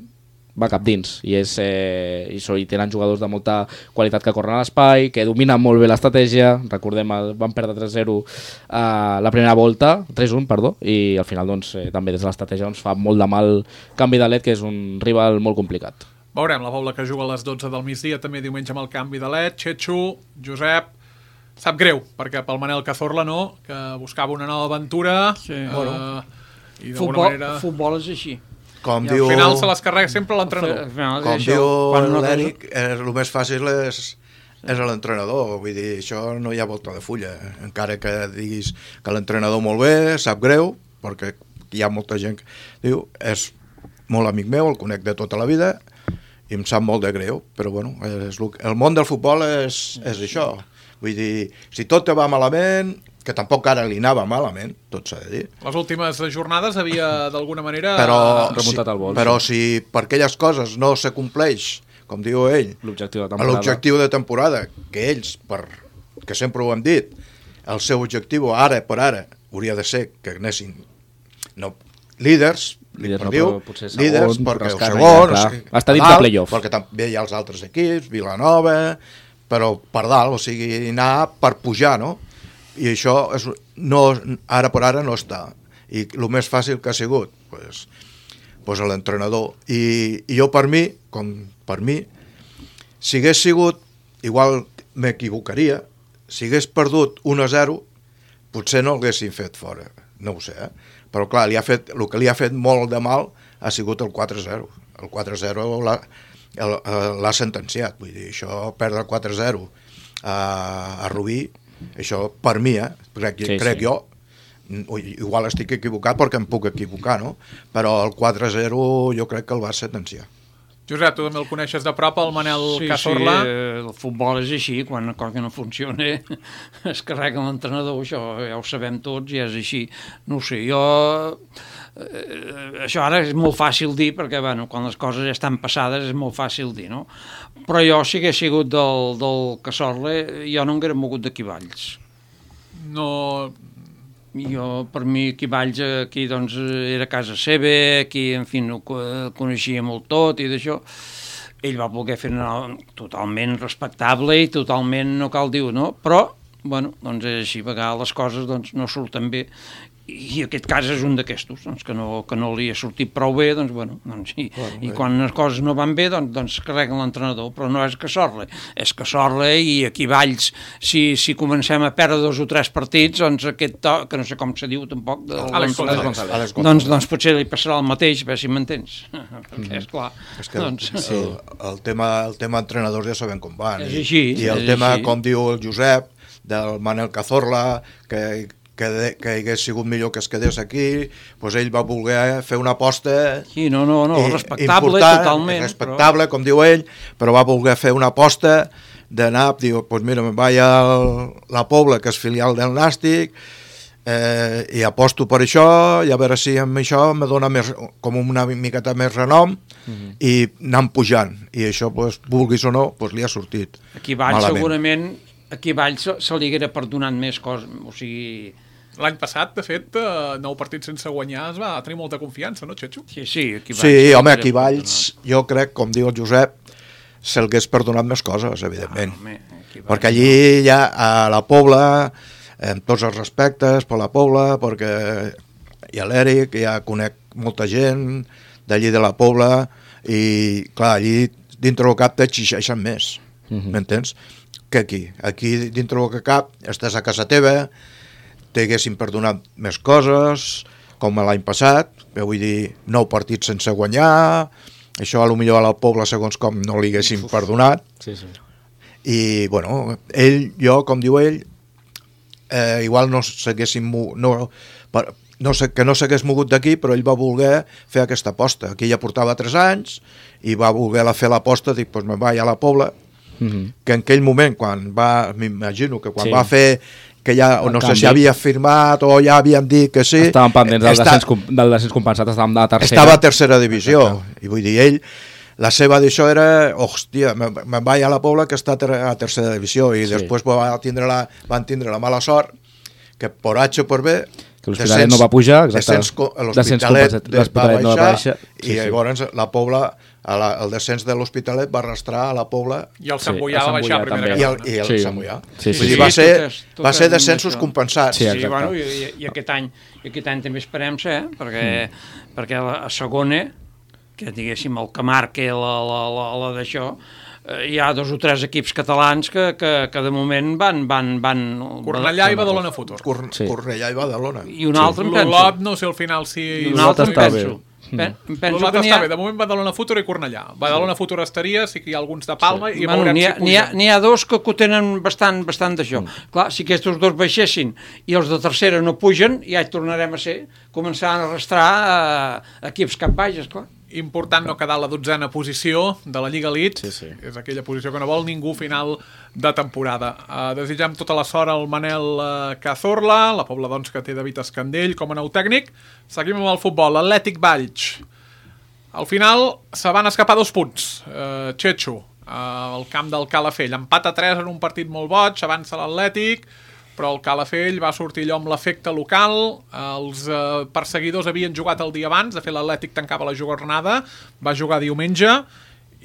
va cap dins i, és, eh, i, so, i tenen jugadors de molta qualitat que corren a l'espai, que dominen molt bé l'estratègia. Recordem, el, van perdre tres zero eh, la primera volta, tres un, perdó, i al final doncs, eh, també des de l'estratègia doncs, fa molt de mal canvi de L E D, que és un rival molt complicat. Veurem la Pobla que juga a les dotze del migdia, també diumenge amb el canvi de L E D. Txetxo, Josep, sap greu, perquè pel Manel Cazorla no, que buscava una nova aventura. Sí. Eh, bueno. I futbol, manera... futbol és així. Com I diu, al final se les carrega sempre l'entrenador. Com això, diu no l'Eric, eh, el més fàcil és, és l'entrenador. Vull dir, això no hi ha volta de fulla. Encara que diguis que l'entrenador molt bé, sap greu, perquè hi ha molta gent que diu, és molt amic meu, el conec de tota la vida, i em sap molt de greu, però bueno, és el, el món del futbol és, és això. Vull dir, si tot te va malament, que tampoc ara li anava malament, tot s'ha de dir. Les últimes jornades havia, d'alguna manera... Però, remuntat el vol, però sí. si per aquelles coses no se compleix, com diu ell, l'objectiu de temporada, l'objectiu de temporada, que ells, per, que sempre ho hem dit, el seu objectiu ara per ara hauria de ser que anessin no, líders, líders, no, diu, potser segons, líders perquè el segon, segon, ja, es, està dins de playoff. Perquè també hi ha els altres equips, Vilanova, però per dalt, o sigui, anar per pujar, no? I això és, no, ara per ara no està. I el més fàcil que ha sigut, pues, pues l'entrenador. I, I jo per mi, com per mi, si hagués sigut, igual m'equivocaria, si hagués perdut un a zero, potser no l'haguessin fet fora, no ho sé, eh? Però clar, li ha fet, el que li ha fet molt de mal ha sigut el quatre a zero. El quatre a zero l'ha, l'ha sentenciat, vull dir, això, perdre el quatre a zero a, a Rubí, això per mi, eh? crec, sí, crec sí. jo, igual estic equivocat perquè em puc equivocar, no? Però el quatre a zero jo crec que el va sentenciar. Josep, tu també el coneixes de prop, el Manel sí, Cazorla? Sí, el futbol és així, quan una cosa no funciona es carrega l'entrenador, això ja ho sabem tots i és així. No ho sé, jo... Eh, això ara és molt fàcil dir, perquè bueno, quan les coses ja estan passades és molt fàcil dir, no? Però jo, si hagués sigut del, del Cazorla, jo no m'hagués mogut d'aquí Valls. No... Jo, per mi, aquí Valls, aquí, doncs, era casa seva, aquí, en fi, no coneixia molt tot i d'això. Ell va voler fer una totalment respectable i totalment, no cal dir-ho, no? Però, bueno, doncs és així, a vegades les coses doncs, no surten bé. I aquest cas és un d'aquestos, doncs, que, no, que no li ha sortit prou bé, doncs, bueno, doncs, i, bueno, i quan les coses no van bé, doncs, doncs carreguen l'entrenador, però no és Cazorla, és Cazorla i aquí Valls, si, si comencem a perdre dos o tres partits, doncs aquest to, que no sé com se diu tampoc, de, Àlex González, González. Doncs, doncs potser li passarà el mateix, a veure si m'entens, perquè és clar. És que doncs, sí, el, el, tema, el tema entrenadors ja sabem com van, és així, i, i el és tema, així. Com diu el Josep, del Manel Cazorla, que que, de, que hagués sigut millor que es quedés aquí, doncs ell va voler fer una aposta sí, no, no, no, respectable totalment, respectable, però... com diu ell, però va voler fer una aposta d'anar, diu, doncs mira, me'n vaig a la Pobla, que és filial del Nàstic, eh, i aposto per això, i a veure si amb això me dona més, com una miqueta més renom, uh-huh. i anant pujant, i això, doncs, vulguis o no, doncs li ha sortit aquí Valls malament. Segurament aquí Valls se, se li haguera perdonat més coses, o sigui... L'any passat, de fet, nou partits sense guanyar es va tenir molta confiança, no, Xetxo? Sí, sí, aquí Valls... Sí, home, aquí Valls, jo crec, com diu el Josep, se'l hagués perdonat més coses, evidentment. Ah, home, Valls, perquè allí ja a la Pobla, amb tots els respectes per la Pobla, perquè hi ha l'Eric, ja conec molta gent d'allí de la Pobla, i clar, allí dintre del cap t'exigeixen més, uh-huh. m'entens? Que aquí. Aquí dintre del cap estàs a casa teva, t'haguessin perdonat més coses, com l'any passat, vull dir, nou partits sense guanyar, això a lo millor a la Pobla segons com no li haguessin perdonat, sí, sí. I bueno, ell, jo, com diu ell, eh, igual no s'haguessin no, no sé, que no s'hagués mogut d'aquí, però ell va voler fer aquesta aposta. Aquí ja portava tres anys i va voler fer l'aposta, dic, doncs me'n vaig a la Pobla, mm-hmm. que en aquell moment, quan va, m'imagino que quan sí. va fer que ja, o no sé si havia firmat o ja havien dit que sí. Estàvem pendents del, està, descens, del descens compensat, estàvem de la tercera. Estava a tercera divisió, exacte. I vull dir, ell, la seva d'això era, hòstia, me'n vaig a la Pobla que està a tercera divisió, i sí. després va tindre la, van tindre la mala sort que per H o per B que l'Hospitalet no va pujar, exacte. L'Hospitalet va baixar, no va baixar sí, i llavors sí. la Pobla, la, el descens de l'Hospitalet va arrastrar a la Pobla i el Sant Boià sí, va baixar a primera i el, i el sí. Sant Boià. Sí, sí, Vull dir, sí. va ser, sí, tot, tot va ser descensos compensats. Sí, sí, bueno, i, i, aquest any, i aquest any també esperem ser, eh? perquè, mm. perquè la, a segona, que diguéssim el que marca la, la, la, la d'això, hi ha dos o tres equips catalans que, que, que de moment van... van, van Cornellà i Badalona Futur. Cor, sí. Cornellà i Badalona. I un altre, sí. em penso. L'Olot, no sé al final si... I un altre, em penso. Pen, penso que està ha... bé, de moment Badalona Futur i Cornellà. Badalona sí. Futur estaria, sí que hi ha alguns de Palma sí. i bueno, veurem n'hi ha, si n'hi ha, n'hi ha dos que ho tenen bastant, bastant d'això. Mm. Clar, si aquests dos baixessin i els de tercera no pugen, ja hi tornarem a ser, començant a arrastrar eh, equips cap baixes, clar. important no quedar a la dotzena posició de la Lliga Elite, Sí, sí. és aquella posició que no vol ningú final de temporada. Uh, desitjam tota la sort al Manel uh, Cazorla, la Pobla doncs, que té David Escandell com a nou tècnic. Seguim amb el futbol, Atlètic Valls. Al final se van escapar dos punts, uh, Chechu, uh, al camp del Calafell. Empat a tres en un partit molt boig, avança l'Atlètic, però el Calafell va sortir allò amb l'efecte local, els uh, perseguidors havien jugat el dia abans, de fet l'Atlètic tancava la jornada, va jugar diumenge,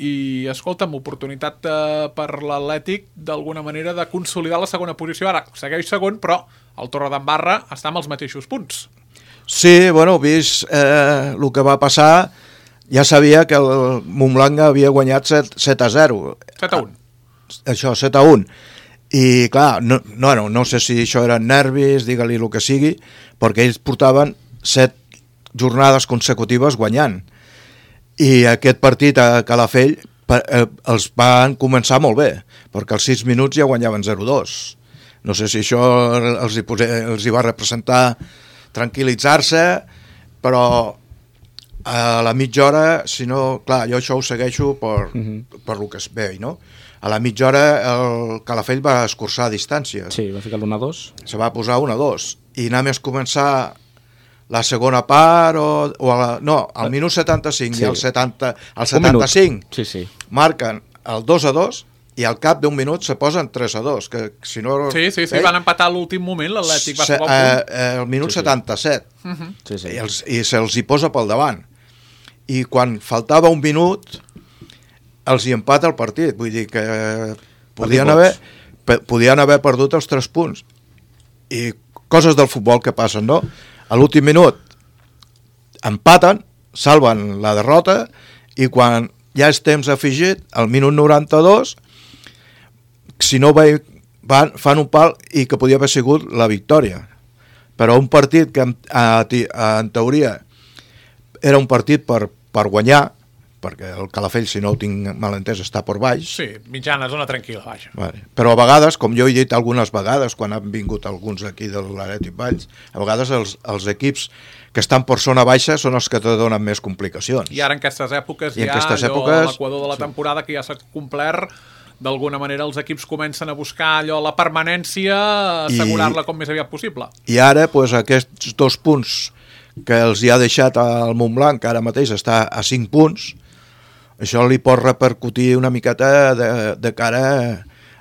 i, escolta'm, oportunitat eh, per l'Atlètic d'alguna manera de consolidar la segona posició. Ara segueix segon, però el Torredembarra està amb els mateixos punts. Sí, bueno, vist eh, el que va passar, ja sabia que el Montblanc havia guanyat set a zero. set a un. Això, set a un. I, clar, no, no, no sé si això eren nervis, digue-li el que sigui, perquè ells portaven set jornades consecutives guanyant. I aquest partit a Calafell eh, els van començar molt bé, perquè als sis minuts ja guanyaven zero a dos. No sé si això els hi, posé, els hi va representar tranquil·litzar-se, però a la mitja hora, si no, clar, jo això ho segueixo per, uh-huh. per lo que es veu, no? A la mitja hora el Calafell va escurçar distàncies. Sí, va ficar l'un a dos. Se va posar un a dos. I només començar la segona part, o, o a la, no, al minut setanta-cinc sí. i al setanta, al setanta-cinc sí, sí. marquen el dos a dos i al cap d'un minut se posen tres a dos. Que, si no, sí, sí, sí, eh? Van empatar a l'últim moment, l'Atlètic va se, jugar un punt. Eh, el minut sí, sí. setanta-set. Uh-huh. Sí, sí. I, els, I se'ls hi posa pel davant. I quan faltava un minut els hi empata el partit. Vull dir que podien haver, podien haver perdut els tres punts. I coses del futbol que passen, no? A l'últim minut empaten, salven la derrota i quan ja és temps afegit, al minut noranta-dos, si no van, fan un pal i que podia haver sigut la victòria. Però un partit que en, en teoria era un partit per, per guanyar, perquè el Calafell, si no ho tinc mal entès, està per baix. Sí, mitjana, zona tranquil·la, vaja. Vale. Però a vegades, com jo he dit algunes vegades, quan han vingut alguns aquí de l'Atlètic Valls, a vegades els, els equips que estan per zona baixa són els que te donen més complicacions. I ara en aquestes èpoques I ja, aquestes allò, èpoques, a l'equador de la temporada, sí. que ja s'ha complert, d'alguna manera els equips comencen a buscar allò, la permanència, assegurar-la com més aviat possible. I ara, pues, aquests dos punts que els hi ha deixat al Montblanc, que ara mateix està a cinc punts, això li pot repercutir una miqueta de, de cara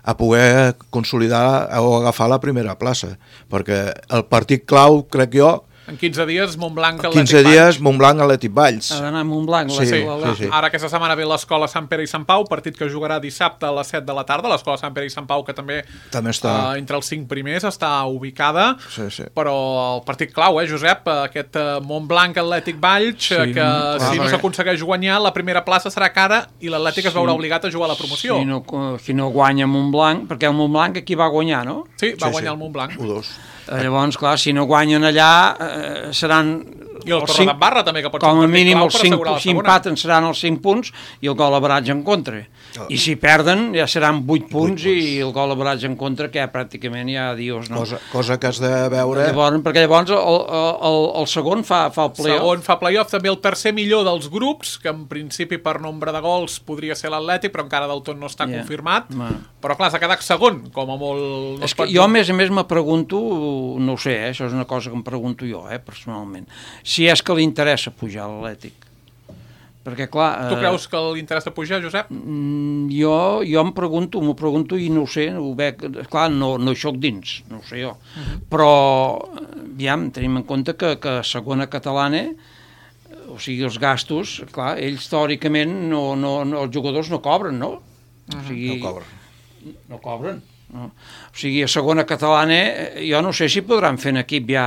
a poder consolidar o agafar la primera plaça, perquè el partit clau, crec jo, en quinze dies, Montblanc, Atlètic quinze dies, Montblanc, Atlètic Valls. Ha d'anar a Montblanc. Sí, sí, sí. Ara aquesta setmana ve l'Escola Sant Pere i Sant Pau, partit que jugarà dissabte a les set de la tarda. L'Escola Sant Pere i Sant Pau, que també, també està uh, entre els cinc primers està ubicada. Sí, sí. Però el partit clau, eh, Josep? Aquest uh, Montblanc, Atlètic Valls, sí, que clar, si no s'aconsegueix guanyar, la primera plaça serà cara i l'Atlètic sí. es veurà obligat a jugar a la promoció. Si no, si no guanya Montblanc, perquè el Montblanc aquí va guanyar, no? Sí, va sí, guanyar sí. el Montblanc. u dos. Llavors, clar, si no guanyen allà, eh, seran... I el Torredembarra també, que pot ser com un a partit mínim clau els per cinc, assegurar la si segona. empaten seran els cinc punts i el gol average en contra. Oh. I si perden ja seran vuit punts, punts i el gol average en contra, que ja pràcticament ja dius, no? Cosa, cosa que has de veure... Llavors, perquè llavors el, el, el segon fa, fa el play-off. Segon fa play-off, també el tercer millor dels grups, que en principi per nombre de gols podria ser l'Atlètic, però encara del tot no està yeah. confirmat. Bueno. Però clar, s'ha quedat segon, com a molt... És que jo, a més a més, me pregunto, no ho sé, eh, això és una cosa que em pregunto jo, eh, personalment, si és que li interessa pujar a l'Atlètic. Perquè, clar... Tu eh, creus que li interessa pujar, Josep? Jo, jo em pregunto, m'ho pregunto i no ho sé, ho veig, clar, no, no hi soc dins, no ho sé jo. Uh-huh. Però, aviam, tenim en compte que, que a segona catalana, o sigui, els gastos, clar, ells teòricament, no, no, no, els jugadors no cobren, no? Uh-huh. O sigui, no cobren. No cobren. No. O sigui, a segona catalana, jo no sé si podran fer un equip ja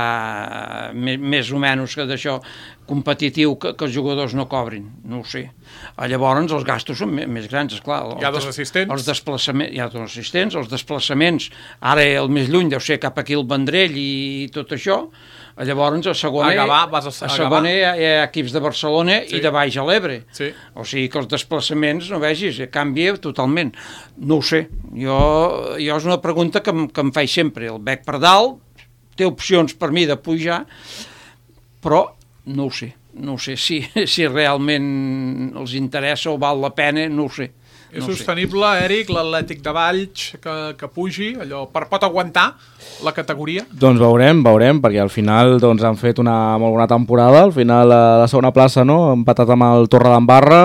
més, més o menys que d'això competitiu que, que els jugadors no cobrin, no ho sé. Llavors els gastos són més, més grans, esclar. Hi ha dos assistents. Els desplaçaments, hi ha dos assistents, els desplaçaments, ara el més lluny deu ser cap aquí el Vendrell i tot això. Llavors a segona, a Gavà, vas a, a, a segona hi, ha, hi ha equips de Barcelona sí. i de baix a l'Ebre. Sí. O sigui que els desplaçaments, no vegis, canvia totalment. No ho sé. Jo, jo és una pregunta que em, que em faig sempre. El bec per dalt, té opcions per mi de pujar, però no ho sé. no sé si, si realment els interessa o val la pena, no ho sé. És no sostenible, sé. Eric, l'Atlètic de Valls que, que pugi, allò, per, pot aguantar la categoria? Doncs veurem, veurem, perquè al final doncs, han fet una molt bona temporada, al final a la segona plaça, no?, empatat amb el Torredembarra,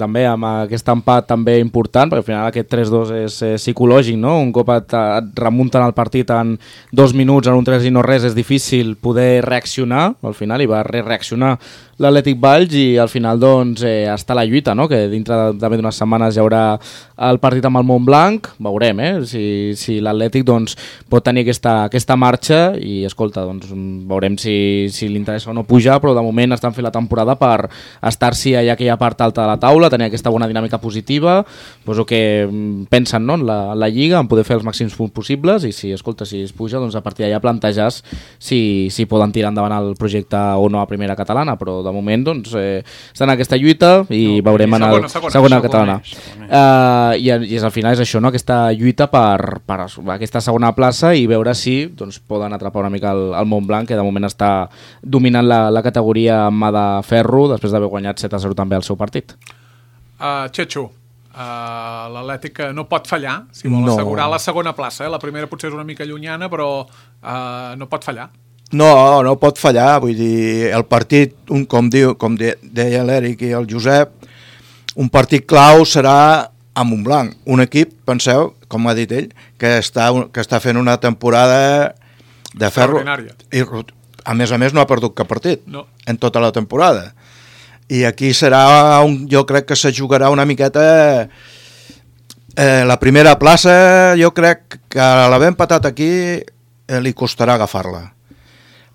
també amb aquest empat també important, perquè al final aquest tres dos és eh, psicològic, no?, un cop et, et remunten el partit en dos minuts, en un tres i no res, és difícil poder reaccionar, al final hi va reaccionar l'Atlètic Valls i al final doncs eh, està la lluita, no?, que dintre de, també d'unes setmanes hi haurà el partit amb el Montblanc, veurem eh, si, si l'Atlètic doncs, pot tenir aquesta, aquesta marxa i escolta, doncs, veurem si, si li interessa o no pujar, però de moment estan fent la temporada per estar-s'hi allà aquella part alta de la taula, tenir aquesta bona dinàmica positiva, doncs el que pensen, no?, en la, en la Lliga, en poder fer els màxims punts possibles i si, escolta, si es puja, doncs a partir d'allà plantejar si, si poden tirar endavant el projecte o no a primera catalana, però de moment doncs, eh, estan en aquesta lluita i no, veurem i segona, en el segona, segona catalana. Segona. Uh, i, i al final és això, no?, aquesta lluita per, per aquesta segona plaça i veure si doncs, poden atrapar una mica el, el Montblanc, que de moment està dominant la, la categoria amb mà de ferro després d'haver guanyat set a zero també el seu partit. Uh, Chechu, uh, l'Atlètic no pot fallar si vol no. assegurar la segona plaça, eh? La primera potser és una mica llunyana, però uh, no pot fallar. No, no pot fallar, vull dir, el partit, un, com, diu, com de, deia l'Eric i el Josep, un partit clau serà a Montblanc, un equip, penseu, com ha dit ell, que està, que està fent una temporada de ferro. I, a més a més no ha perdut cap partit no. en tota la temporada. I aquí serà, un, jo crec que se jugarà una miqueta... Eh, la primera plaça, jo crec que a l'haver empatat aquí eh, li costarà agafar-la.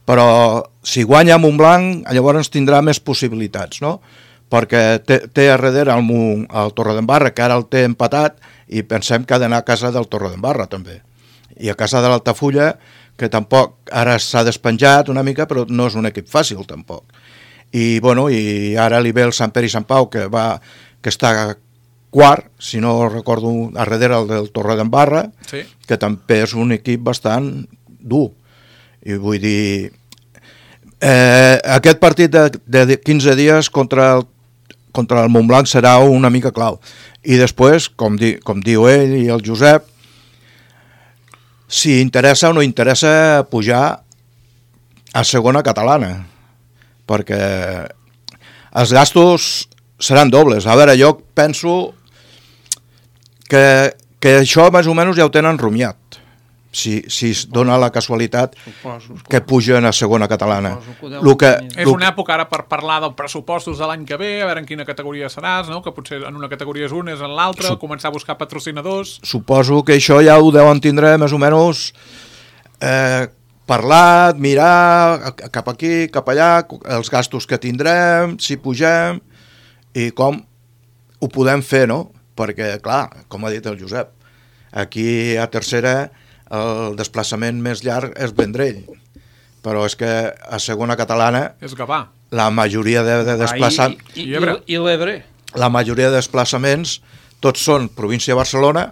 Però si guanya Montblanc, llavors tindrà més possibilitats, no? Perquè té, té a darrere el, el Torredembarra, que ara el té empatat, i pensem que ha d'anar a casa del Torredembarra, també. I a casa de l'Altafulla, que tampoc ara s'ha despenjat una mica, però no és un equip fàcil, tampoc. I, bueno, i ara li ve el Sant Pere i Sant Pau, que, va, que està quart, si no recordo, a darrere el del Torredembarra, sí. que també és un equip bastant dur. I vull dir... Eh, aquest partit de, de quinze dies contra el contra el Montblanc serà una mica clau. I després, com, di, com diu ell i el Josep, si interessa o no interessa pujar a segona catalana, perquè els gastos seran dobles. A veure, jo penso que, que això més o menys ja ho tenen rumiat. Si, si es dona la casualitat suposo, que pugen a segona catalana. Que lo que, és una època ara per parlar dels pressupostos de l'any que ve, a veure en quina categoria seràs, no? Que potser en una categoria és un, és en l'altra, Sup començar a buscar patrocinadors. Suposo que això ja ho deuen tindre més o menys eh, parlat, mirar cap aquí, cap allà, els gastos que tindrem, si pugem, i com ho podem fer, no? Perquè, clar, com ha dit el Josep, aquí a tercera el desplaçament més llarg és Vendrell, però és que a segona catalana és Gavà. La majoria de, de desplaçaments I, i, i, i l'Ebre la majoria de desplaçaments tots són província de Barcelona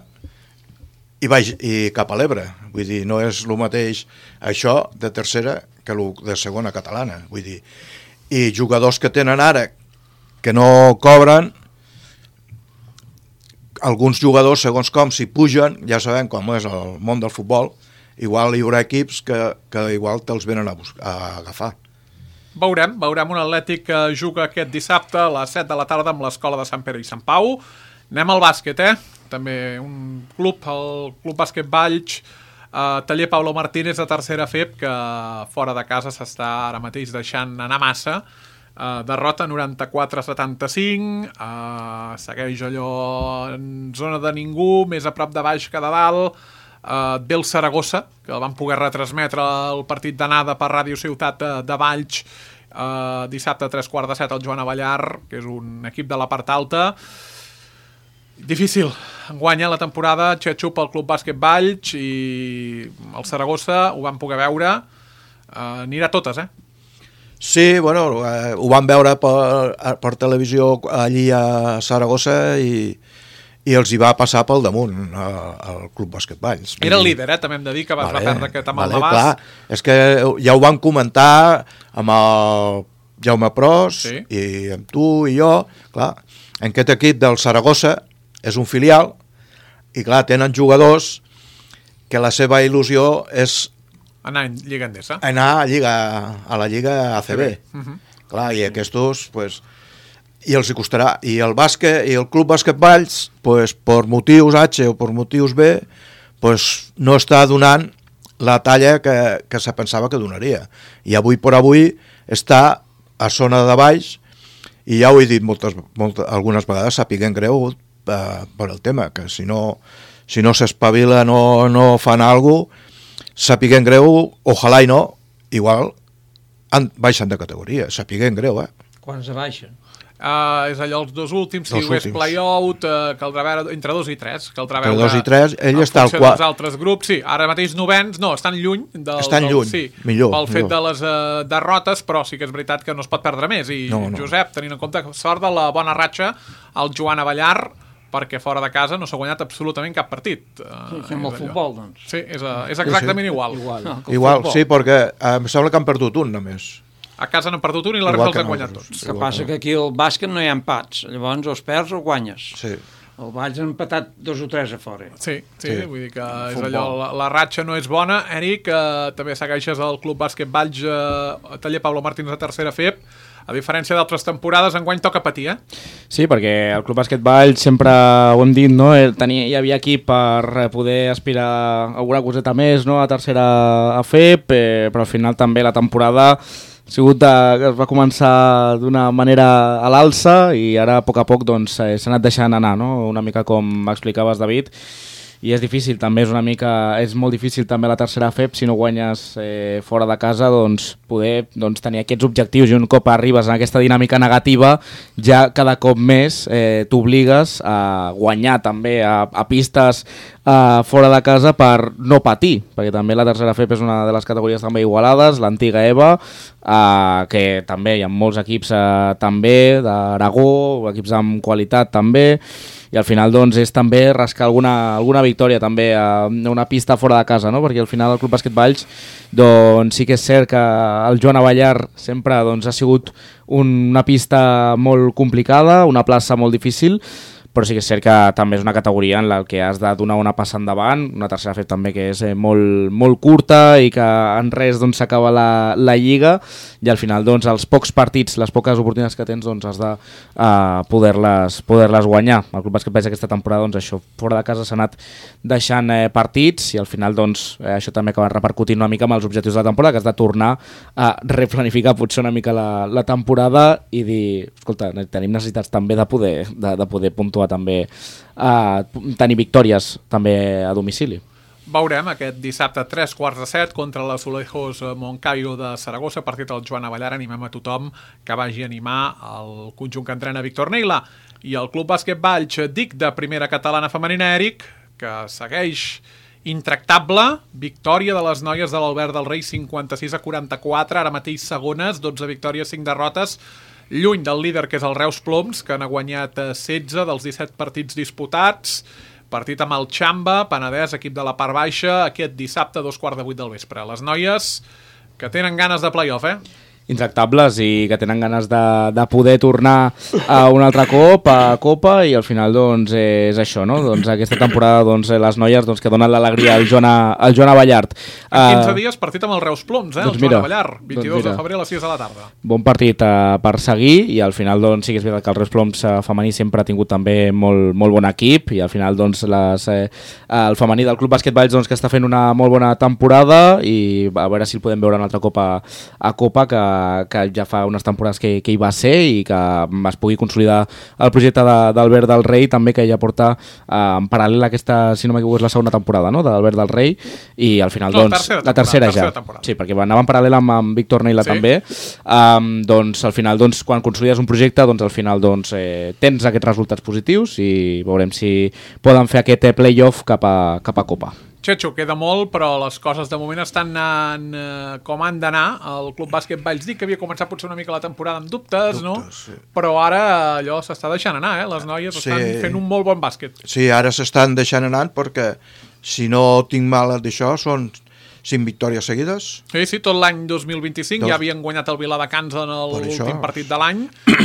i, baix, i cap a l'Ebre, vull dir, no és el mateix això de tercera que el de segona catalana, vull dir, i jugadors que tenen ara que no cobren, alguns jugadors, segons com, si pugen, ja sabem com és el món del futbol, igual hi haurà equips que, que igual te'ls venen a, buscar, a agafar. Veurem, veurem un Atlètic que juga aquest dissabte a les set de la tarda amb l'Escola de Sant Pere i Sant Pau. Anem al bàsquet, eh? També un club, el Club Bàsquet Valls, eh, Taller Paulo Martínez de tercera F E B, que fora de casa s'està ara mateix deixant anar massa. Uh, derrota noranta-quatre a setanta-cinc, uh, segueix allò en zona de ningú, més a prop de baix que de dalt. Uh, ve el Saragossa, que el van poder retransmetre el partit d'anada per Ràdio Ciutat de, de Valls, uh, dissabte a tres quarts de set al Joan Avellar, que és un equip de la part alta. Difícil guanya la temporada, Chechu pel Club Bàsquet Valls, i el Saragossa ho van poder veure, uh, anirà a totes, eh? Sí, bueno, eh, ho van veure per, per televisió allí a Saragossa i, i els hi va passar pel damunt al Club Bàsquet Valls. Era el líder, eh? També hem de dir que abans vale, va perdre aquest amb vale, el Navàs. Clar, és que ja ho van comentar amb el Jaume Pros, Sí. i amb tu i jo, clar, en aquest equip del Saragossa és un filial, i clar, tenen jugadors que la seva il·lusió és Anar en Lliga Endesa. anar a, Lliga, a la Lliga A C B. Uh -huh. Clar, i aquests, pues, i els hi costarà. I el bàsquet, i el Club Bàsquet Valls, pues, per motius H o per motius B, pues, no està donant la talla que, que se pensava que donaria. I avui per avui està a zona de baix, i ja ho he dit moltes, moltes, algunes vegades, sapiguem greu eh, per el tema, que si no si no s'espavila, no, no fan alguna cosa, sapiguem greu, ojalà i no, igual han, baixen de categoria, sapiguem greu, eh? Quan se baixen? Uh, és allò els dos últims, si Els ho és últims. play-out, uh, caldrà veure entre dos i tres, caldrà Entre veure dos i tres, ell en està al funció quart. dels altres grups, sí, ara mateix novens, no, estan lluny del, Estan del, lluny, sí, millor, pel fet millor. de les uh, derrotes, però sí que és veritat que no es pot perdre més, i No, no. Josep, tenint en compte que sort de la bona ratxa al Joan Avellar, perquè fora de casa no s'ha guanyat absolutament cap partit. Uh, Sí, amb el futbol, doncs. Sí, és, uh, és exactament sí. igual. Igual. No, que el Igual, futbol. sí, perquè eh, em sembla que han perdut un només. A casa n'han perdut un i la Igual resta els que han guanyat nosaltres. tots. El que passa que aquí al bàsquet no hi ha empats, llavors o els perds o guanyes. Sí. El Valls ha empatat dos o tres a fora. Sí, sí, Sí. vull dir que és Futbol. allò, la, la ratxa no és bona. Eric, eh, també segueixes el Club Bàsquet Valls, eh, taller Pablo Martins de tercera F E P. A diferència d'altres temporades, enguany toca patir, eh? Sí, perquè el Club Bàsquet Valls sempre ho hem dit, no? Tenia, hi havia equip per poder aspirar a alguna coseta més, no? A tercera a F E P, eh, però al final també la temporada ha sigut de, que es va començar d'una manera a l'alça i ara a poc a poc doncs, eh, s'ha anat deixant anar, no? Una mica com explicaves, David, i és difícil també, és una mica és molt difícil també la tercera F E P si no guanyes eh, fora de casa, doncs poder doncs, tenir aquests objectius, i un cop arribes en aquesta dinàmica negativa ja cada cop més eh, t'obligues a guanyar també a, a pistes eh, fora de casa per no patir, perquè també la tercera F E P és una de les categories també igualades, l'antiga EVA, eh, que també hi ha molts equips eh, també d'Aragó, equips amb qualitat també, i al final doncs és també rascar alguna, alguna victòria també a una pista fora de casa, no? Perquè al final el Club Bàsquet Valls doncs sí que és cert que el Joan Avellar sempre doncs, ha sigut un, una pista molt complicada, una plaça molt difícil, però sí que és cert que també és una categoria en la que has de donar una passa endavant, una tercera F E P també que és eh, molt, molt curta i que en res doncs, s'acaba la, la lliga, i al final doncs, els pocs partits, les poques oportunitats que tens doncs, has de uh, poder-les poder-les guanyar. El Club Bàsquet Valls aquesta temporada doncs, això, fora de casa s'ha anat deixant eh, partits, i al final doncs, eh, això també acaba repercutint una mica amb els objectius de la temporada, que has de tornar a replanificar potser una mica la, la temporada i dir, escolta, tenim necessitats també de poder, de, de poder puntuar també, a tenir victòries també a domicili. Veurem aquest dissabte a tres quarts de set contra l'Azulejos Moncayo de Saragossa, partit del Joan Avellar. Animem a tothom que vagi a animar el conjunt que entrena Víctor Neila. I el Club Bàsquet Valls, dic, de primera catalana femenina, Eric, que segueix intractable, victòria de les noies de l'Albert del Rei, cinquanta-sis a quaranta-quatre, ara mateix segones, dotze victòries, cinc derrotes, lluny del líder, que és el Reus Ploms, que n'ha guanyat setze dels disset partits disputats. Partit amb el Xamba, Penedès, equip de la part baixa, aquest dissabte a dos quarts de vuit del vespre. Les noies que tenen ganes de play-off, eh? Intractables i que tenen ganes de, de poder tornar a un altre cop, a Copa, i al final doncs és això, no? Doncs aquesta temporada doncs, les noies doncs, que donen l'alegria al Joan, al Joan Avellar. En quinze uh, dies partit amb el Reus Ploms, eh? Doncs el Joan mira, Avellar, vint-i-dos doncs de febrer a les sis de la tarda. Bon partit uh, per seguir, i al final doncs, sí que és veritat que el Reus Ploms uh, femení sempre ha tingut també molt, molt bon equip, i al final doncs, les, eh, el femení del Club Bàsquet Valls doncs, que està fent una molt bona temporada, i a veure si el podem veure un altre cop a, a Copa, que, que ja fa unes temporades que, que hi va ser, i que es pugui consolidar el projecte d'Albert del Rei també, que ja porta eh, en paral·lel aquesta, si no m'equivoco, és la segona temporada, no?, d'Albert del Rei, i al final no, doncs tercera la tercera, tercera ja temporada. Sí, perquè anava en paral·lel amb, amb Víctor Neila Sí. també, um, doncs al final doncs, quan consolides un projecte doncs al final doncs, eh, tens aquests resultats positius, i veurem si poden fer aquest eh, play-off cap a, cap a Copa. Xecho, queda molt, però les coses de moment estan anant eh, com han d'anar. El Club Bàsquet Valls, dic que havia començat potser una mica la temporada amb dubtes, Dubtes, no? sí. Però ara allò s'està deixant anar, eh? Les noies Sí. estan fent un molt bon bàsquet. Sí, ara s'estan deixant anant perquè, si no tinc mal d'això, són cinc victòries seguides. Sí, sí, tot l'any dos mil vint-i-cinc Dos. ja havien guanyat el Viladecans en Per l'últim això. partit de l'any.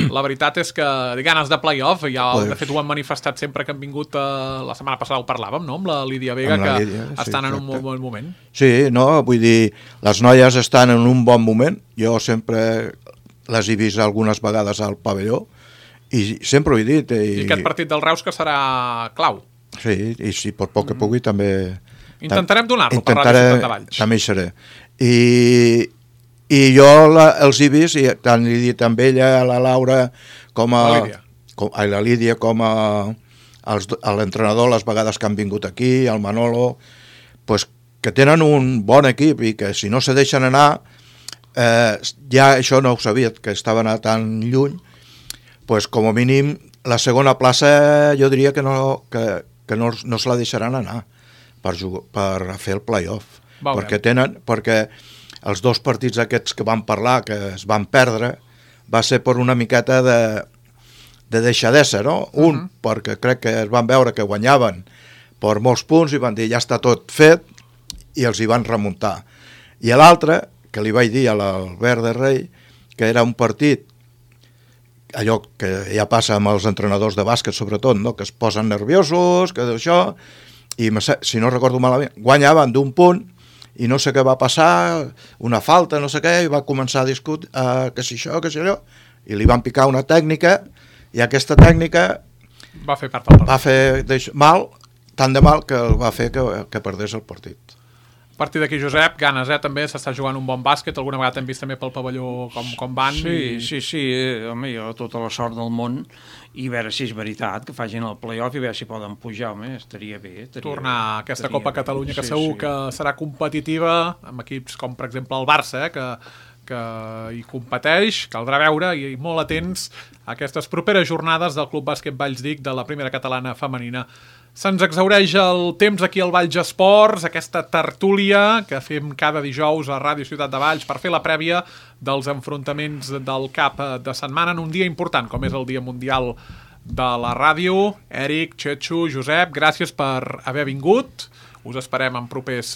La veritat és que ganes de play-off, ja, Pues- de fet ho han manifestat sempre que han vingut, eh, la setmana passada ho parlàvem, no?, amb la Lídia Vega, Amb la que Lídia, sí, estan en un exacte. molt bon moment. Sí, no, vull dir, les noies estan en un bon moment. Jo sempre les he vist algunes vegades al pavelló i sempre ho he dit. I, I, aquest partit del Reus que serà clau. Sí, i si per poc que pugui també... Intentarem donar-lo per intentaré, Ràdio Ciutat de Valls. També hi seré. I, i jo la, els he vist, i tant li he dit amb ella, a la Laura, com a... La Lídia. Com, a la Lídia, com a, als, a l'entrenador, les vegades que han vingut aquí, al Manolo, pues, que tenen un bon equip i que si no se deixen anar, eh, ja això no ho sabia, que estaven a tan lluny, pues, com a mínim la segona plaça jo diria que no, que, que no, no se la deixaran anar per, jugar, per fer el play-off. Veurem. Perquè tenen, perquè els dos partits aquests que van parlar, que es van perdre, va ser per una miqueta de, de deixadesa, no? Un, uh -huh. perquè crec que es van veure que guanyaven per molts punts i van dir ja està tot fet i els hi van remuntar. I l'altre, que li vaig dir a l'Albert de Rei, que era un partit, allò que ja passa amb els entrenadors de bàsquet sobretot, no? Que es posen nerviosos, que d'això, i si no recordo malament, guanyaven d'un punt i no sé què va passar, una falta, no sé què, i va començar a discutir uh, que si això, que si allò, i li van picar una tècnica, i aquesta tècnica Va fer part del partit. va fer deix, mal, tant de mal que el va fer que, que perdés el partit. A partir d'aquí, Josep, ganes, eh? També s'està jugant un bon bàsquet, alguna vegada hem vist també pel pavelló com, com van. Sí, i... sí, sí, eh, home, jo tota la sort del món i a veure si és veritat que facin el play-off i a veure si poden pujar, home, estaria bé. Estaria tornar a bé, aquesta estaria Copa bé. Catalunya, que Sí, segur sí. que serà competitiva, amb equips com, per exemple, el Barça, eh? que, que hi competeix, caldrà veure, i, i molt atents a aquestes properes jornades del Club Bàsquet Vallsdic de la primera catalana femenina. Se'ns exhaureix el temps aquí al Valls Esports, aquesta tertúlia que fem cada dijous a Ràdio Ciutat de Valls per fer la prèvia dels enfrontaments del cap de setmana en un dia important, com és el Dia Mundial de la Ràdio. Eric, Txetxo, Josep, gràcies per haver vingut. Us esperem en propers